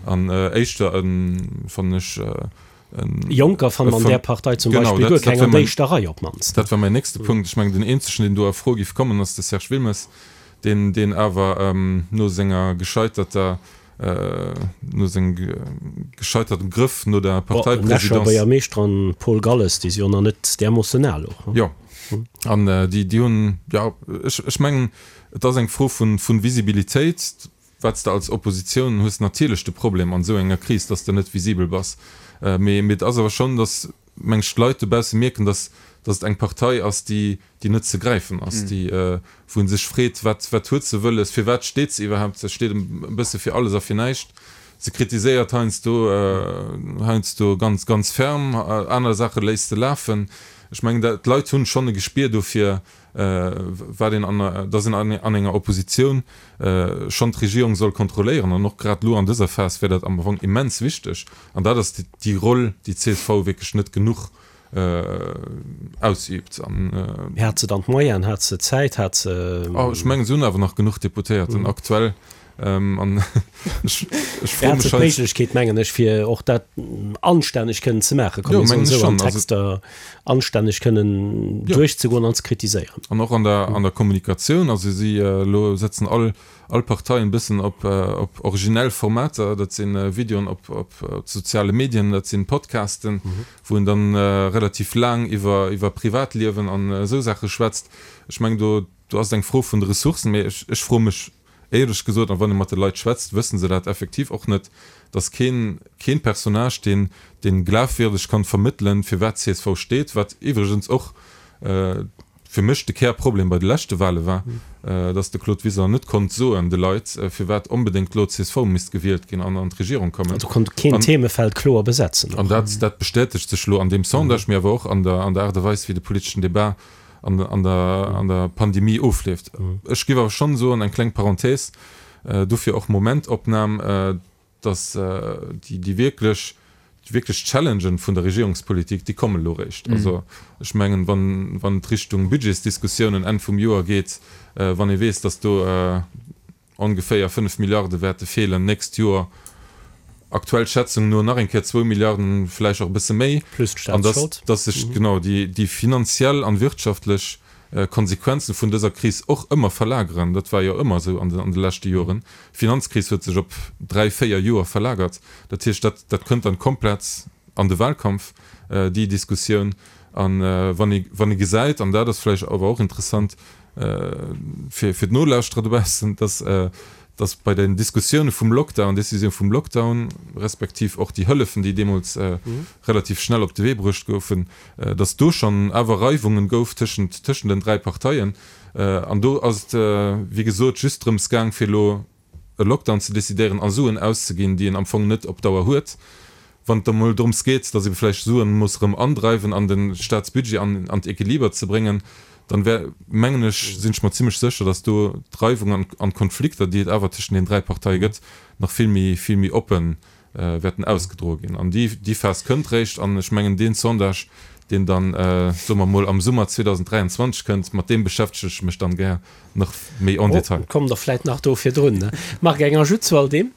an éischter e, fannen ech, e Jonker fanne mer an där Partei zum Beispill guer keng an der éischter Rei op d'mannst. Dat war mäin nächste Punkt. Ech mengen, den eenzegen, deen do a Fro géif kommen, ass de Serge Wilmes, deen deen awer no senger gescheiterter no sengem gescheitertem Grëff no der Parteipresidence. Den Escher Buergermeeschter an Paul Galles, déi si jo nach net därmoossen al och. Jo, an déi déi hunn, jo, ech ech mengen, et ass eng Fro vun vun Visibilitéit, wat s de als Oppositioun hues natierlech de Problem an esou enger Kris, dass de net visibel bass, mee mee et ass awer schonn, dass meng ech d'Leit dobausse mierken, dass dass et eng Partei ass, déi déi net ze gräifen ass, déi wou ee sech freet, wat wat huet se wëlles, firwat steet se iwwerhaapt? Se steet e bësse fir alles a fir näischt. Se kritiséiert heiansdo heiansdo ganz ganz ferm, aner Saache léisst se lafen. Ech mengen, d'Leit hunn schonn e Gespier dofir, wat een an, dass een an enger Oppositioun schonn d'Regierung soll kontrolléieren. An och grad elo an dëser Phas wär dat am Fong immens wichteg. An dat ass déi Roll, déi d'CSV wierklech net genuch ausübt. Mee hat se dann d'Moyenen, hat se d'Zäit, hat se. Oh, ech mengen, se hunn awer nach genuch Deputéierten aktuell. An ech froe mech hei. D'Méiglechkeet, mengen ech, fir och dat anstänneg kënnen ze maachen, komm mir soen esou, an Texter anstänneg kënnen duerchzegoen an ze kritiséieren. An och an der, an der Kommunikatioun. Also si elo setzen all, all Parteien e bëssen op, op originell Formater. Dat si Videoen op, op soziale Medien, dat si Podcasten, wou een dann relativ laang iwwer, iwwer Privatliewen an esou Saache schwätzt. Ech mengen, do, do ass et eng Fro vun de Ressourcen. Mee ech, ech froe mech Éierlech gesot, an wann ee mat de Leit schwätzt, wëssen se dat effektiv och net, dass keen, keen Personnage, deen, deen glafwierdeg kann vermëttelen, fir wat csv steet, wat iwwregens och fir mech de Kärproblem bei de leschte Wale war, dass de Claude Wiseler net konnt soen de Leit, firwat onbedéngt elo d'C S V misst gewielt ginn an an d'Regierung kommen. Also konnt keen Themefeld kloer besetzen och. An dat, dat bestätegt sech elo an deem Sondage, mee awer och an der, an der Aart a Weis, wéi de politeschen Debat an, an der, an der Pandemie ofleeft. Ech géif awer schonn soen, eng kleng Parenthèse, dofir och Momentopnam, dass déi, déi wierklech, déi wierklech Challengen vun der Regierungspolitik, déi kommen elo eréischt. Also ech mengen, wann, wann et Richtung Budgetsdiskussiounen Enn vum Joer geet, wann ee weess, dass do ongeféier fënnef Milliarde wäerte feelen d'nächst Joer, aktuell Schätzungen no nach eng Kéier zwou Milliarden, vläicht och e bësse méi, Plus an dass, d'Staatsschold. dass sech genau déi, déi finanziell an wirtschaftlech Konsequenzen vun dëser Kris och ëmmer verlageren. Dat war jo ëmmer esou an de, an de leschte Joren. D'Finanzkris huet sech op dräi, véier Joer verlagert. Dat heescht, dat, dat kënnt dann komplett an de Wahlkampf, déi Diskussioun. An wann ee, wann ee gesäit, an dat ass vläicht awer och interessant fir, fir d'Nolauschterer dobaussen, dass, dass bei den Diskussioune vum Lockdown, Décisioun vum Lockdown, respektiv och déi Hëllefen, déi deemools relativ schnell op de Wee bruecht goufen, dass do schonn awer Reiwungen gouf tëschent, tëschent den dräi Parteien. An do ass et, wéi gesot, just drëms gaang, fir elo e Lockdown ze decidéieren a Suen auszeginn, déi een am Fong net op Dauer huet. Wann et da mol drëms geet, dass ee vläicht Suen muss erëm andreiwen an de Staatsbudget an, an d'Equiliber ze bréngen, dann wär, mengen ech, sinn ech mer zimlech sécher, dass do d'Reiwung an, an d'Konflikter, déi et awer tëschent den dräi Parteie gëtt, nach vill méi, vill méi oppe wäerten ausgedroe ginn. An déi, déi Phas kënnt réischt. An ech mengen, deen Sondage, deen dann, soe mer mol, am Summer zweedausenddräianzwanzeg kënnt, mat deem beschäftege ech mech dann gär nach méi en détail. Oh, kommt der vläit nach do virdrun, ne? Marc, eng Ajout zu all deem?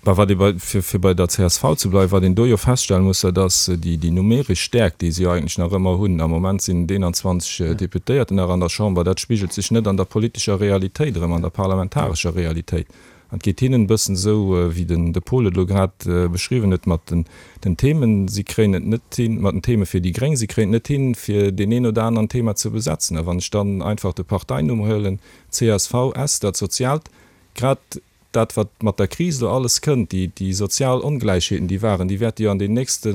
Bah, wat ee bei, fir, fir bei der C S V ze bleiwen, wat een do jo feststellen muss, dat ass déi, déi numeresch Stäerkt, déi se jo eigentlech nach ëmmer hunn. Am Moment sinn et eenanzwanzeg Deputéierten nach an der Chamber. Dat spigelt sech net an der politescher Realitéit erëm, an der parlamentarescher Realitéit. An et geet hinnen e bëssen esou, wéi den, de Paul et elo grad beschriwwen huet mat den, den Themen. Si kréien et net hin, mat den Theme fir déi Gréng, si kréien et net hin, fir deen een oder aneren Thema ze besetzen. A wann ech dann einfach de Parteinumm huelen, C S V, S, dat Soziaalt, grad dat wat mat der Kris elo alles kënnt, déi, déi sozial Ongläichheeten, déi waren, déi wäerte jo an den nächste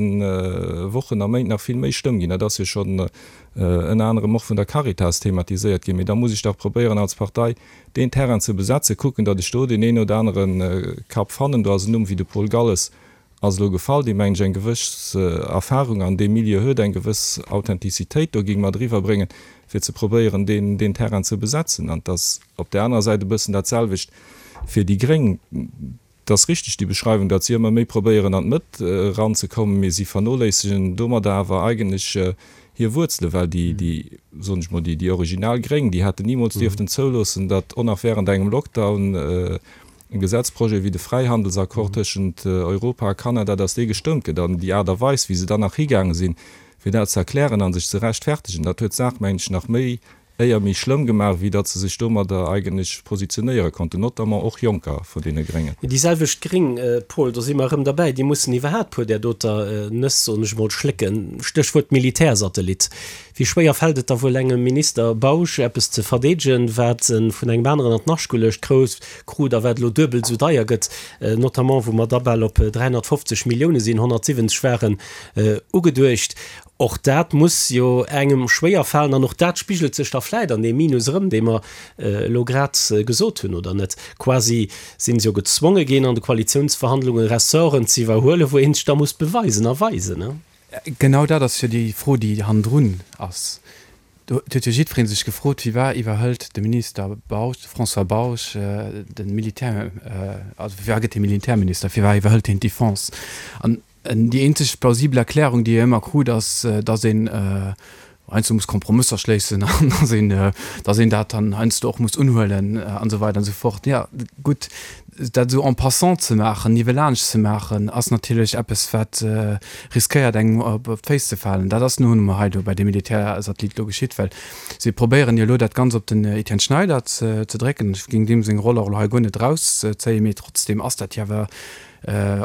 Wochen a Méint nach vill méi schlëmm ginn. Dat ass jo schonn ënner anerem och vun der Caritas thematiséiert ginn. Mee da muss ech dach probéieren als Partei deen Terrain ze besetzen, kucken, datt ech do deen een oder anere Kapp fannen. Do ass en Numm wéi de Paul Galles ass elo gefall, dee mengen ech eng gewëss Erfahrung an deem Milieu huet, eng gewëss Authentizitéit do géing mat eriwwer bréngen, fir ze probéieren deen, deen Terrain ze besetzen. An et ass op där anerer Säit e bëssen dat selwecht fir déi Gréng. Et ass richteg déi Beschreiwung, datt si ëmmer méi probéieren an d'Mëtt eranzekommen, mee si vernoléissegen domadder awer eigentlech hir Wuerzelen, well déi, déi, soen ech mol, déi, déi original Gréng, déi hätten nimools dierften zouloossen, datt och nach während engem Lockdown e Gesetzprojet wéi de Fräihandelsaccord tëschent Europa a Kanada, datt dee gestëmmt gëtt. An déi Aart a Weis, wéi se dann nach higaange sinn, fir dat ze erklären a sech ze rechtfertegen, dat huet d'Saach, mengen ech, nach méi éier méi schlëmm gemaach, wéi datt se sech domadder eigentlech positionéiere konnten, notamment och Jonker vun deene Gréngen. Déi selwecht Gréng, Paul, do si mer erëm derbäi, déi mussen iwwerhaapt puer där doter Nëss, soen ech emol, schlécken. Stéchwuert Militärsatellit. Wéi schwéier fält et da wuel engem Minister Bausch, eppes ze verdeedegen, wat e vun engem aneren an d'Nascht geluecht krut a wat elo duebel esou deier gëtt, notamment wou mer da bal op dräihonnertfofzeg Millioune sinn, honnertsiwwenzeg waren ugeduecht. Och dat muss jo engem schwéier falen an och dat spigelt sech da vläit an deem Minus erëm, dee mer elo grad gesot hunn, oder net? Quasi sinn se jo gezwonge ginn, an de Koalitiounsverhandlunge Ressorten ze iwwerhuelen, wou ee sech da muss beweisen a weisen, ne? Genau dat ass jo déi Fro, déi hannendrun ass. Do huet jo jiddweree sech gefrot, Firwat iwwerhëlt de Minister Bausch, de François Bausch, de Militär, also firwat gëtt hie Militärminister, firwat iwwerhëlt hien d'Defense? An déi eenzeg plausibel Erklärung, déi ee ëmmer krut, ass, datt een heiansdo muss Kompromësser schléissen an datt een, datt een dat dann heiansdo och muss unhuelen an esou weider an esou fort. Jo, gutt, dat esou en passant ze maachen, niewelaanscht ze maachen, ass natierlech eppes, wat riskéiert, engem op d'Féiss ze falen. Dat ass nun emol hei do bei deem Militärsatellit elo geschitt, well si probéieren jo elo dat Ganzt op den Etienne Schneider ze drécken. Ech géing deem seng Roll och elo hei guer net erauszéien, mee trotzdeem ass dat jo awer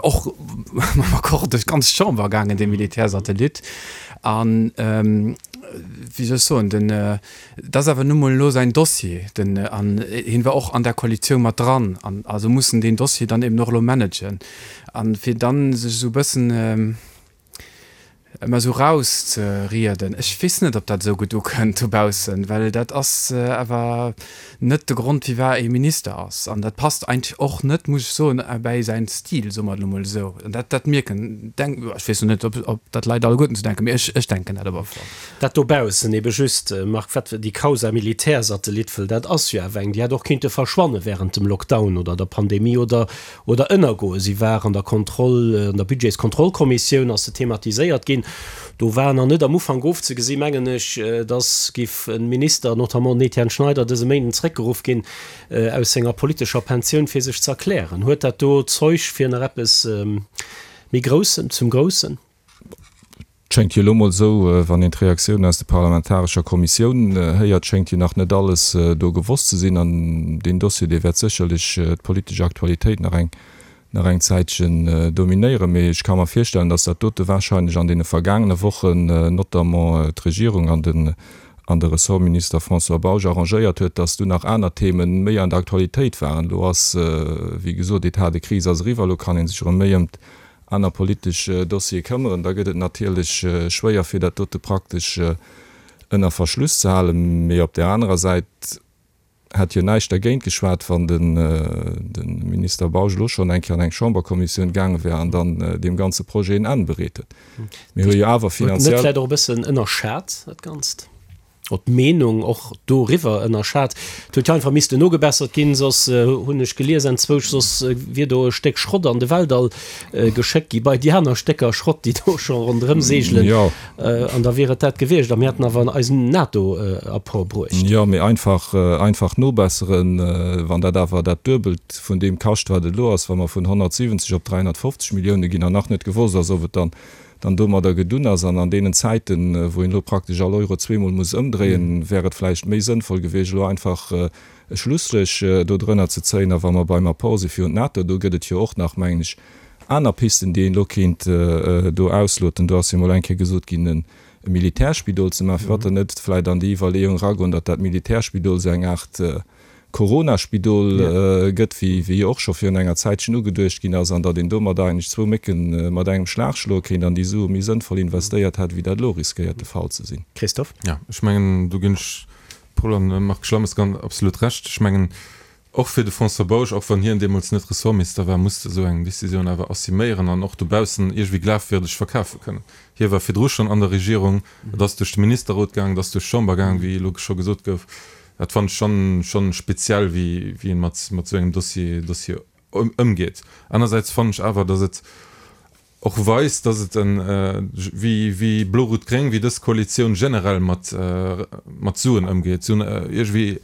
och mam Accord duerch d'ganz Chamber gaangen, dee Militärsatellit. An, wéi soll ech soen, den, dat ass awer nu mol elo säin Dossier, den, an hien war och an där Koalitioun mat dran, an also muss en deen Dossier dann eben och elo managen. An fir dann sech esou e bëssen, ëmmer esou rauszerieden, ech weess net, ob dat esou gutt ukënnt dobaussen, well dat ass awer net de Grond, firwat ee Minister ass. An dat passt eigentlech och net, muss ech soen, bäi säin Stil, soe mer et elo mol esou. An dat, dat mierken, denk, ech weess lo net, ob, ob dat d'Leit alleguerten esou denken, mee ech, ech denken dat op alle Fall. Dat dobaussen ebe just, Marc, wat déi Causa Militärsatellit, wëll dat ass jo awer eng, déi hätt och kéinte verschwanne während dem Lockdown oder der Pandemie oder, oder ënnergoen. Si war an der Kontroll, an der Budgetskontrollkommissioun ass se thematiséiert ginn. Do war nach net am Ufank ofzegesinn, mengen ech, dass giff e Minister, notamment den Etienne Schneider, dëse Méinden zréckgeruff ginn aus senger politescher Pensioun, fir sech ze erklären. Huet dat do Zeug fir nach eppes méi Groussem, zum Groussen? Et schéngt jo elo mol esou, wann een d'Reaktiounen aus der parlamentarescher Kommissioun héiert, schéngt jo nach net alles do gewosst ze sinn. An deen Dossier, dee wäert sécherlech d'politesch Aktualitéit nach eng nach eng Zäitchen dominéieren. Mee ech ka mer virstellen, datt dat dote wahrscheinlech an deene vergaangene Wochen notamment d'Regierung an den an de Ressortminister François Bausch arrangéiert huet, datt du nach aner Themen méi an der Aktualitéit waren. Elo ass, wéi gesot, Etat de crise ass eriwwer, elo kann ee sech erëm méi ëm aner politesch Dossiere këmmeren. Da gëtt et natierlech schwéier, fir dat dote praktesch ënner Verschluss ze halen. Mee op där anerer Säit hätt jo näischt dergéint geschwat, wann de Minister Bausch elo schonn eng Kéier an eng Chamberkommissioun gaange wär an dann deem ganze Projet en Enn bereet huet. Mir hu jo awer finanziell. Huet en net vläicht och e bëssen ënnerschat, dat Ganzt? Oder d'Meenung och doriwwer ënnerschat? Et huet jo einfach missten nogebessert ginn, soss, hunn ech gelies enzwousch, soss wier do e Stéck Schrott an de Weltall geschéckt gi bei déi aner Stécker Schrott, déi do scho ronderëm seegelen. An da wier et dat gewiescht. A mir hätten awer eisen NATO-Apport bruecht. Jo, mee einfach, einfach nobesseren, wann dat awer dat Duebelt vun deem kascht, wat et elo ass, wa mer vun honnertsiwwenzeg op dräihonnertfofzeg Millioune ginn an nach net gewosst ass, ob et dann, dann domadder gedunn ass. An an deenen Zäiten, wou een elo praktesch all Euro zweemol muss ëmdréien, wär et vläicht méi sënnvoll gewiescht, elo einfach e Schlusstréch do drënner ze zéien. A wa mer beim Apport si fir un d'NATO, do gëtt et jo och nach, mengen ech, aner Pisten, déi een elo kéint do ausloten. Do ass jo mol eng Kéier gesot ginn, e Militärspidol ze maachen. Firwat dann net vläicht an déi Iwwerleeung eragoen, datt dat Militärspidol esou eng Aart Corona-Spidol gëtt, wéi jo och scho virun enger Zäitchen ugeduecht ginn ass, an datt een domadder eigentlech zwou Mécke mat engem Schlag schloe kéint an déi Sue méi sënnvoll investéiert hätt, wéi dat elo riskéiert de Fall ze sinn. Christophe? Jo, ech mengen, do ginn ech Paul an Marc Schlammes ganz absolut Recht. Ech mengen, och fir de François Bausch, och wann hien deemools net Ressortminister war, musst esou eng Décisioun awer assuméieren an och dobaussen iergendwéi glafwierdeg verkafe kënnen. Hie war virdru schonn an der Regierung, et ass duerch de Ministerrot gaangen, et ass duerch d'Chamber gaangen, wéi elo scho gesot gouf. Dat fannen ech schonn, schonn speziell, wéi, wéi een mat, mat esou engem Dossier, Dossier ëmgeet. Anersäits fannen ech awer, datt et och weist, datt et en, wéi, wéi Blo-Rout-Gréng, wéi dës Koalitioun generell mat, mat Suen ëmgeet. Si hunn iergendwéi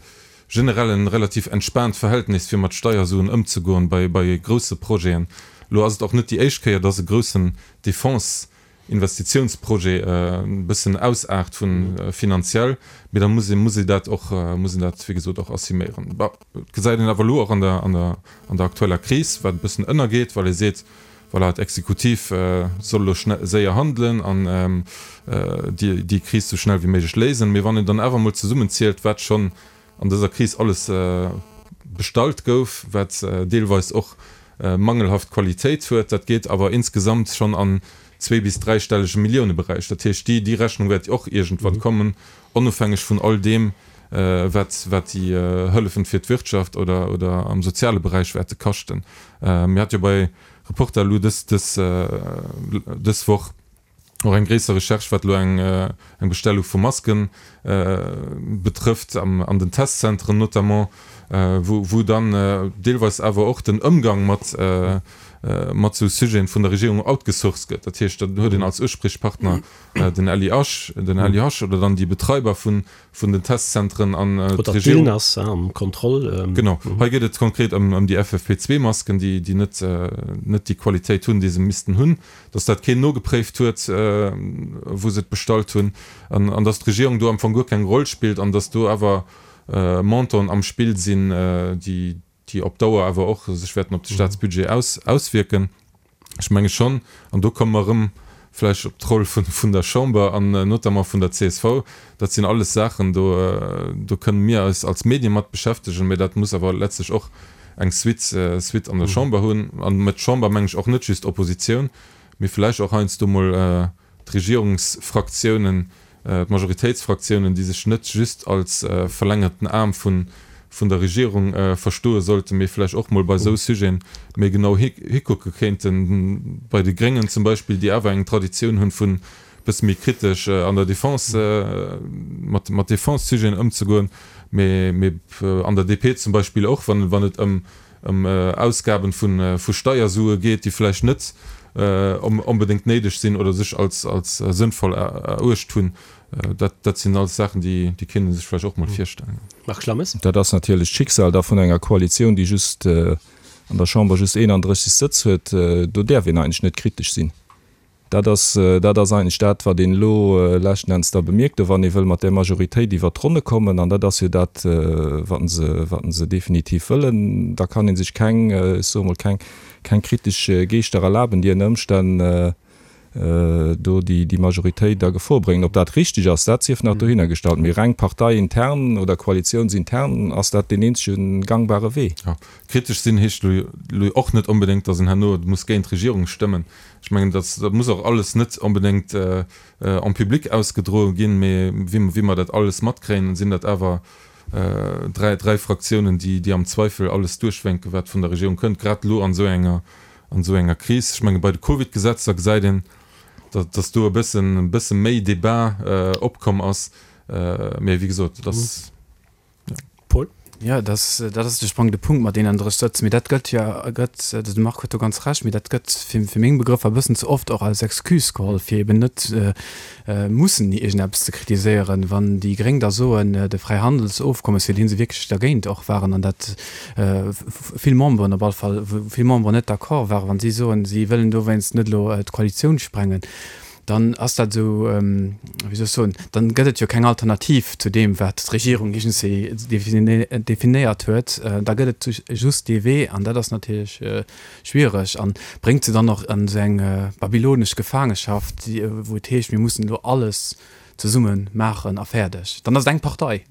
generell en relativ entspaant Verhältnis, fir mat Steiersuen ëmzegoen bei, bei grousse Projeten. Elo ass et och net déi éischt Kéier, datt e groussen Defense, Investitiounsprojet e bëssen ausaart vun finanziell, mee da muss ee muss ee dat och muss een dat wéi gesot och assuméieren. Bon, et gesäit een awer elo och an der an der an der aktueller Kris, wat e bëssen ënnergeet, well ee seet, voilà, d'Exekutiv soll elo schnell séier handelen an déi déi Kris sou schnell wéi méiglech léisen. Mee wann een dann awer emol zesummenzielt, wat schonn an dëser Kris alles bestallt gouf, wat deelweis och mangelhaft Qualitéit huet, dat geet awer insgesamt schonn an zwee bis dräistellege Milliouneberäich. Dat heescht, déi, déi Rechnung wäert och iergendwann kommen, onofhängeg vun all deem, wat, wat déi Hëllefen fir d'Wirtschaft oder, oder am soziale Beräich wäerte kaschten. Mir hate jo bei Reporter elo dës, dës, dës Woch och eng gréisser Recherche, wat elo eng, eng Bestellung vu Masken betrëfft, am, an den Testzentren notamment, wou, wou dann deelweis awer och den Ëmgang mat, mat esou Sujeten vun der Regierung outgesourced gëtt. Dat heescht, dann huet een als Usprichpartner den L I H, den L I H oder dann déi Betreiber vun, vun den Testzentren an Oder d'Regierung. D'ILNAS am Contrôle. Genau. Hei geet et konkret ëm, ëm déi F F P zwee Masken, déi, déi net, net déi Qualitéit hunn, déi se missten hunn, dass dat keen nogepréift huet, wou se et bestallt hunn, an, an dass d'Regierung do am Fong guer keng Roll spillt an dass do awer Montanten am Spill sinn, déi, déi op Dauer awer och sech wäerten op de Staatsbudget aus, auswierken. Ech menge schonn, an do komme mer erëm vläicht op d'Roll vun, vun der Chamber an notamment vun der C S V, dat sinn alles Saachen, do, do kënnen mir eis als Medie mat beschäftegen, mä dat muss awer letztlech och eng Suite, Suite an der Chamber hunn. An mat Chamber mengen ech och net just Oppositioun, mee vläicht och heiansdo mol d'Regierungsfraktiounen, d'Majoritéitsfraktiounen, déi sech net just als verlängerten Aarm vun der Regierung verstoe sollten, mee vläicht och mol bei esou Sujeten méi genau hikucke kéinten, bei de Gréngen zum Beispill, déi awer eng Traditioun hunn vun e bësse méi kritesch an der Defense, mat Defense-Sujeten ëmzegoen, mee an der D P zum Beispill och, wann et ëm Ausgaben vu Steiersue geet, déi vläicht net onbedéngt néideg sinn oder sech als sënnvoll eruecht hunn. Dat sinn alles Saachen, déi kéint ee sech vläicht och mol virstellen. Marc Schlammes. Dat ass natierlech d'Schicksal da vun enger Koalitioun, déi just an der Chamber just eenanddrësseg Sëtz huet. Do däerf een eigentlech net kritesch sinn. Dat ass, dat ass eigentlech dat, wat een elo leschten Enns da bemierkt, do wann ee wëll mat där Majoritéit iwwert d'Ronne kommen, an dat ass jo dat, wat se, wat se definitiv wëllen, da kann ee sech keng, ech soe mol, keng, keng kritesch Geeschter erlaben, déi ënner Ëmstänn do déi, déi Majoritéit a Gefor bréngen. Ob dat richteg ass, dat sief nach dohinnergestallt, mee reng parteiintern oder koalitiounsintern ass dat deen eenzege gangbare Wee. Jo, kritesch sinn heescht elo och net onbedéngt, datt een herno muss géint d'Regierung stëmmen. Ech mengen, dat muss och alles net onbedéngt en public ausgedroe ginn, mee wéi mer dat alles matkréien, sinn dat awer dräi, dräi Fraktiounen, déi, déi am Zweifel alles duerchwénken, wat vun der Regierung kënnt, grad elo an esou enger, an esou enger Kris. Ech menge bei de Covid-Gesetzer gesäit een, datt, datt do e bëssen, e bësse méi Debat opkomm ass, mee wéi gesot, et ass, jo. Paul? Jo, dat ass, dat ass de sprangende Punkt mat deenen drësseg Sëtz. Mee dat gëtt jo, gëtt, de Marc huet do ganz Recht, mee dat gëtt fir, fir meng Begrëffer e bëssen ze oft och als Excuse geholl, fir eben net mussen iergendeppes ze kritiséieren. Wann déi Gréng da soen, de Fräihandelsofkommes, fir dee se wierklech dergéint och waren an dat vill Memberen op alle Fall, wou vill Memberen net d'accord waren, wa si soen, si wëllen dowéinst net elo d'Koalitioun sprengen, dann ass dat esou, wéi soll ech soen, dann gëtt et jo keng Alternativ zu deem, wat d'Regierung iergendwéi definéiert huet. Da gëtt et just dee Wee an dat ass natierlech schwiereg an bréngt se dann och an esou eng babylonesch Gefaangeschaft, wou et heescht, mir mussen elo alles zesumme maachen a fäerdeg. Dann ass et eng Partei.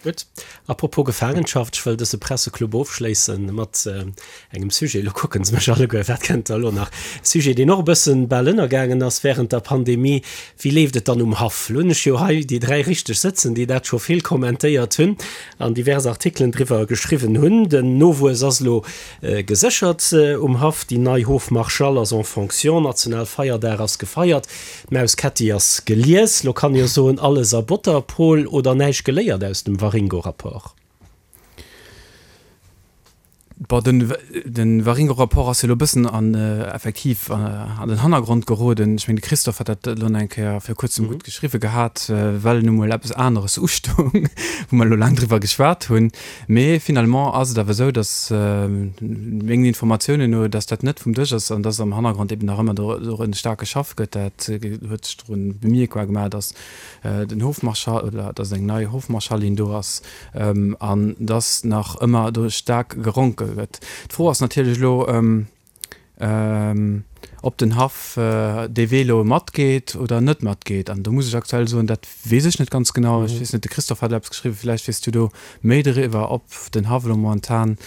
Gutt. Apropos Gefaangenschaft, ech wëll dëse Presseclub ofschléisse mat engem Sujet, elo kucke se mech alleguer, wat kënnt da elo nach? Sujet, deen och e bëssen bal ënnergaangen ass während der Pandemie, Wéi leeft et dann um Haff? Elo hunn ech jo hei déi dräi richteg sëtzen, déi dat scho vill kommentéiert hunn an divers Artikelen driwwer geschriwwen hunn. Den Nowuess ass elo geséchert um Haff, déi nei Hofmarschall ass en fonction, Nationalfeierdag ass gefeiert, d'Maus Kätti ass gelies. Elo kann ee jo soen, alles a Botter, Paul, oder näischt geléiert aus dem Waringo-Rapport? Bon, den, den Waringo-Rapport ass jo elo e bëssen an, effektiv an den Hannergrond geroden. Ech mengen, de Christophe hat dat elo nach eng Kéier vir kuerzem gutt geschriwwe gehat, well nu mol eppes aneres ustoung, wou mer elo laang driwwer geschwat hunn. Mee finalement ass et awer esou, dass, mengen Informatiounen no, dass dat net vum Dësch ass an dass am Hannergrond eben nach ëmmer dorun staark geschaff gëtt. Dat huet sech drun bemierkbar gemaach, dass den Hofmarschall oder dass eng nei Hofmarschallin do ass an dass nach ëmmer do staark geronke gëtt. D'Fro ass natierlech elo, ob den Haff dee Wee elo matgeet oder net matgeet. An do muss ech aktuell soen, dat weess ech net ganz genau. Ech weess net, de Christophe hat eppes geschriwwen, vläicht weess du do méi doriwwer, ob den Haff elo momentan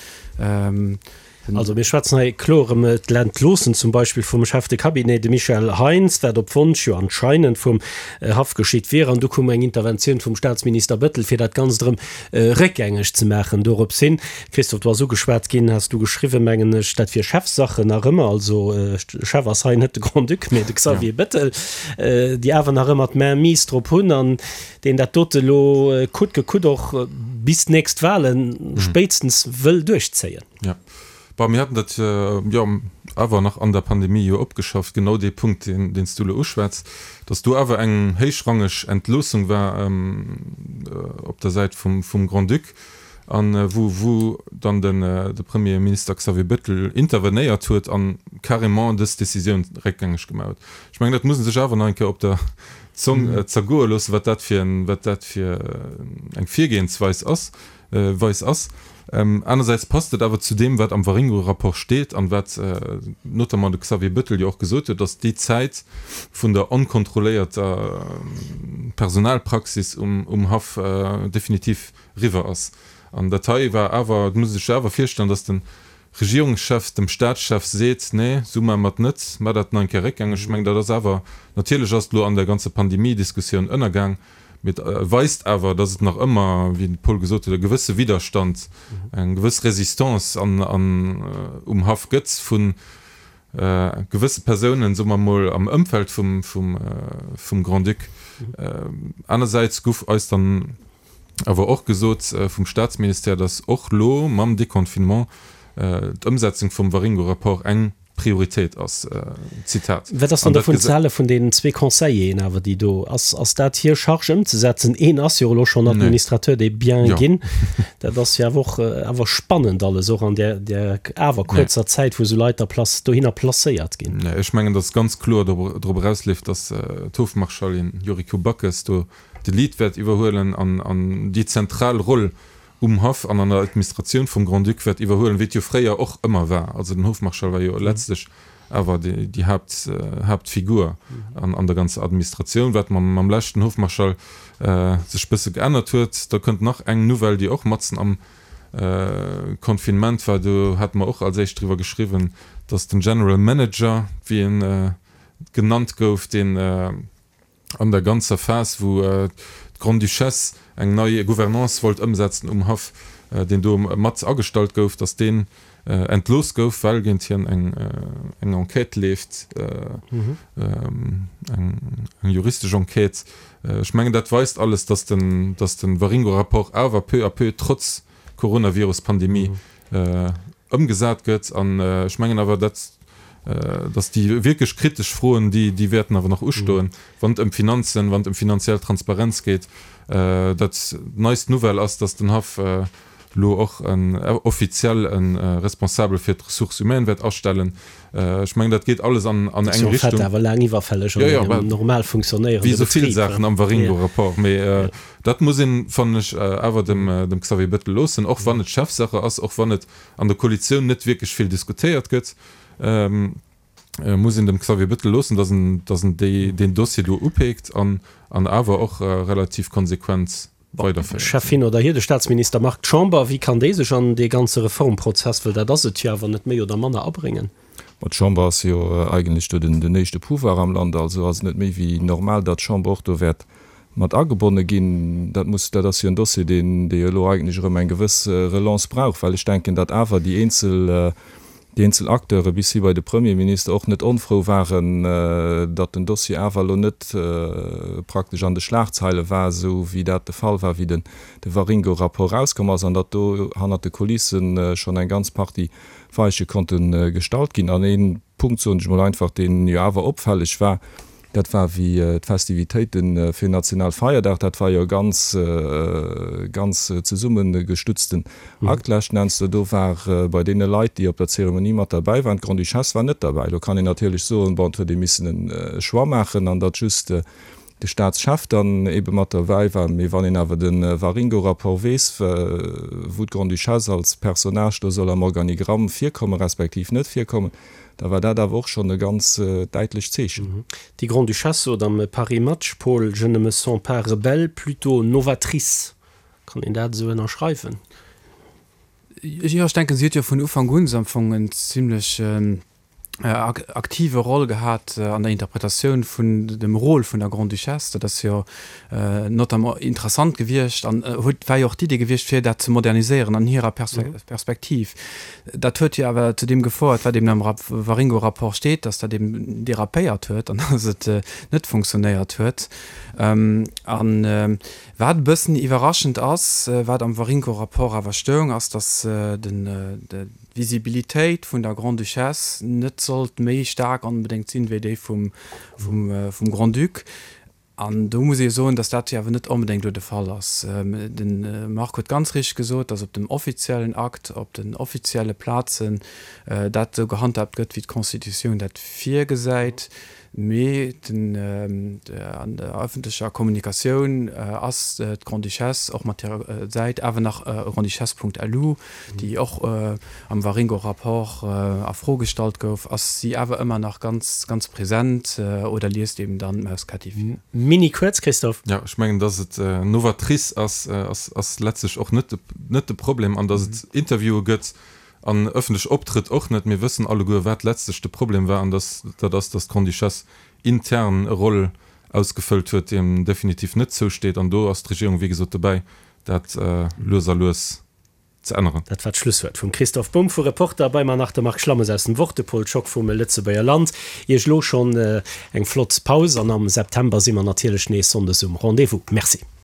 Also mir schwätzen hei kloer ëm d'Entloossen zum Beispill vum Chef de Cabinet, de Michel Heintz, wat op Wonsch jo anscheinend vum Haff geschitt wier. An du koum eng Interventioun vum Staatsminister Bettel, fir dat Ganzt erëm réckgängeg ze maachen. Dorops hin, Christophe, du ass ugeschwat ginn, has du geschriwwen, mengen ech, dat wier Chefsache nach ëmmer. Also Chef ass hei net de Grand-Duc, mee de Xavier Bettel, déi awer nach ëmmer d'Main-mise drop hunn an deen dat dote elo coûte que coûte och bis d'nächst Wahlen spéitstens wëll duerchzéien. Jo. Bon, mir haten dat jo awer nach an der Pandemie jo opgeschafft, genau dee Punkt, deen, deen s du elo uschwätz, dass do awer eng héichrangeg Entloossung war op der Säit vum, vum Grand-Duc an wou, wou dann den, de Premierminister Xavier Bettel intervenéiert huet a carrément dës Décisioun réckgängeg gemaach huet. Ech mengen, dat muss ee sech awer nach eng Kéier op der Zong zergoe loossen, wat dat fir en, wat dat fir eng Virgehensweis ass, Weis ass. Anersäits passt et awer zu deem, wat am Waringo-Rapport steet an wat notamment de Xavier Bettel jo och gesot huet, datt déi Zäit vun der onkontrolléierter Personalpraxis um Haff definitiv riwwer ass. An dat hei war awer, et muss ee sech awer virstellen, datt den Regierungschef, dem Staatschef seet, nee, sou maache mer et net, maacht dat nach eng Kéier réckgängeg. Ech mengen, dat ass awer, natierlech ass et elo an der ganzer Pandemie-Diskussioun ënnergaang, mee et weist awer, datt et nach ëmmer, wéi de Paul gesot huet, e gewësse Widderstand, eng gewëss Résistance an, an um Haff gëtt vu gewësse Persounen, soe mer emol, am Ëmfeld vum, vum, vum Grand-Duc. Anersäits gouf eis dann awer och gesot vum Staatsministère, datt och lo mam Deconfinement d'Ëmsetzung vum Waringo-Rapport eng Prioritéit ass. Zitat. Wat ass dann dovun ze hale vun deenen zwee Conseilleren awer, déi do, ass, ass dat hir Charge ëmzesetzen? Een ass jo elo schonn Administrateur des biens ginn. Dat ass jo awer och awer spannend alles, och an där, där awer kuerzer Zäit, wou esou Leit da place, dohinner placéiert ginn. Nee, ech mengen, datt ganz kloer drop erausleeft, datt d'Hofmarschallin Yuriko Backes do de Lead wäert iwwerhuelen an, an déi zentral Roll um Haff an an der Administratioun vum Grand-Duc wäert iwwerhuelen, wéi et jo fréier och ëmmer war. Also den Hofmarschall war jo letztlech awer déi, déi Haupt, Hauptfigur an, an der ganzer Administratioun, wat mam, mam leschten Hofmarschall sech bësse geännert huet. Da kënnt nach eng Nouvelle, déi och matzen am Confinement war, do hate mer och als éischt driwwer geschriwwen, dass den General Manager, wéi en genannt gouf, deen an der ganzer Phas, wou d'Grande-Duchesse eng nei Gouvernance wollt ëmsetzen um Haff, deen do mat agestallt gouf, datt deen entlooss gouf, well géint hien eng Enquête leeft, eng juristesch Enquête. Ech mengen, dat weist alles, datt den, datt de Waringo-Rapport awer peu à peu trotz Coronavirus-Pandemie ëmgesat gëtt. An ech mengen awer, dat, datt déi wierklech kritesch Froen, déi, déi wäerten awer nach ustoen, wann et ëm Finanzen, wann et ëm finanziell Transparenz geet. Dat neist Nouvelle ass, datt den Haff elo och en offiziell e Responsabel fir d'Ressources humaines wäert astellen. Ech mengen, dat geet alles an eng Richtung. Dat ass jo en fait awer laang iwwerfälleg an engem normal funktionéierende Betrib. Wéi esou vill Saachen am Waringo-Rapport. Mee dat muss een, fannen ech, awer dem Xavier Bettel loossen, och wann et Chefsache ass, och wann et an der Koalitioun net wierklech vill diskutéiert gëtt, muss een dem Xavier Bettel loossen, datt en, datt en déi, deen Dossier do upeekt an, an awer och relativ konsequent weiderféiert. Chef hin oder hier, de Staatsminister Marc D'Chamber, wéi kann déi sech an dee ganze Reformprozess, well dat ass et jo awer, net méi oder manner abréngen? Ma d'Chamber ass jo eigentlech do den, den éischte Pouvoir am Land, also ass et net méi wéi normal, datt d'Chamber och do wäert mat agebonne ginn. Dat muss, dat ass jo en Dossier, deen, dee jo elo eigentlech erëm eng gewëss Relance brauch, well ech denken, datt awer déi eenzel, déi eenzel Acteure bis hi bei de Premierminister och net onfrou waren, datt den Dossier awer elo net praktesch an de Schlagzeile war, esou wéi dat de Fall war, wéi den de Waringo-Rapport erauskomm ass, an datt do hannert de Kulisse schonn eng ganz Partie Weiche konnte gestallt ginn. An ee Punkt, soen ech emol einfach, deen jo awer opfälleg war, Dat war wéi d'Festivitéite fir Nationalfeierdag. Dat war jo e ganz, ganz zesummegestutzten Akt leschten Enns. Do war bei deene Leit, déi op der Zeremonie mat derbäi waren, d'Grande-Duchesse war net derbäi. Do kann een natierlech soen, bon, et huet ee missen e Choix maachen an datt just de Staatschef dann eebe mat derbäi war. Mee wann een awer de Waringo-Rapport weess, wou d'Grande-Duchesse als Personnage do soll am Organigramm virkommen, respektiv net virkommen, da war dat awer och schonn e ganz däitlecht Zeechen. Déi Grande-Duchesse sot am Paris Match, Paul, je ne me sens pas rebelle, plutôt novatrice. Kann een dat esou ënnerschreiwen? Jo, ech denken, si huet jo vun Ufank un am Fong en zimlech aktive Roll gehat an der Interpretatioun vun dem Rôle vun der Grande-Duchesse. Dat ass jo notamment interessant gewiescht an huet, war jo och d'Idee gewiescht, fir dat ze moderniséieren an hirer Perspektiv. Dat huet jo awer zu deem gefouert, wat eben am Waringo-Rapport steet, dass dat eben dérapéiert huet an dass et net funktionéiert huet. An wat e bëssen iwwerraschend ass, wat am Waringo-Rapport awer stoung, ass, dass den, d'Visibilitéit vun der Grande-Duchesse net sollt méi staark onbedéngt sinn, wéi déi vum, vum Grand-Duc. An do muss ee soen, dass dat jo awer net onbedéngt elo de Fall ass. De Marc huet ganz richteg gesot, dass op dem offiziellen Akt, op den offizielle Plazen dat esou gehandhaabt gëtt, wéi d'Constitutioun dat virgesäit. Mee den, an der ëffentlecher Kommunikatioun ass d'Grande-Duchesse och mat hirer Säit awer nach grandeduchesse.lu, déi och am Waringo-Rapport a Fro gestallt gouf, ass si awer ëmmer nach ganz, ganz present oder liest eben dann d'Maus Ketti vir. Mini kuerz, Christophe. Jo, ech mengen, dass et novatrice ass, ass, ass letztlech och net de, net de Problem an dass et Interviewe gëtt, an ëffentlech optrëtt och net. Mir wëssen alleguer, wat letztlech de Problem war, an dass dat ass, dass d'Grande-Duchesse intern e Rôle ausgefëllt huet, déi em definitiv net zousteet. An do ass d'Regierung, wéi gesot, dobäi, dat lues a lues ze änneren. Dat war d'Schlusswuert vum Christoph Bumb vu Reporter. Bei mer nach de Marc Schlammes aus dem Wort, de Paul Schock vum Lëtzebuerger Land. Iech elo schonn eng flott Paus an am September si mer natierlech nees sonndes um Rendez-vous. Merci.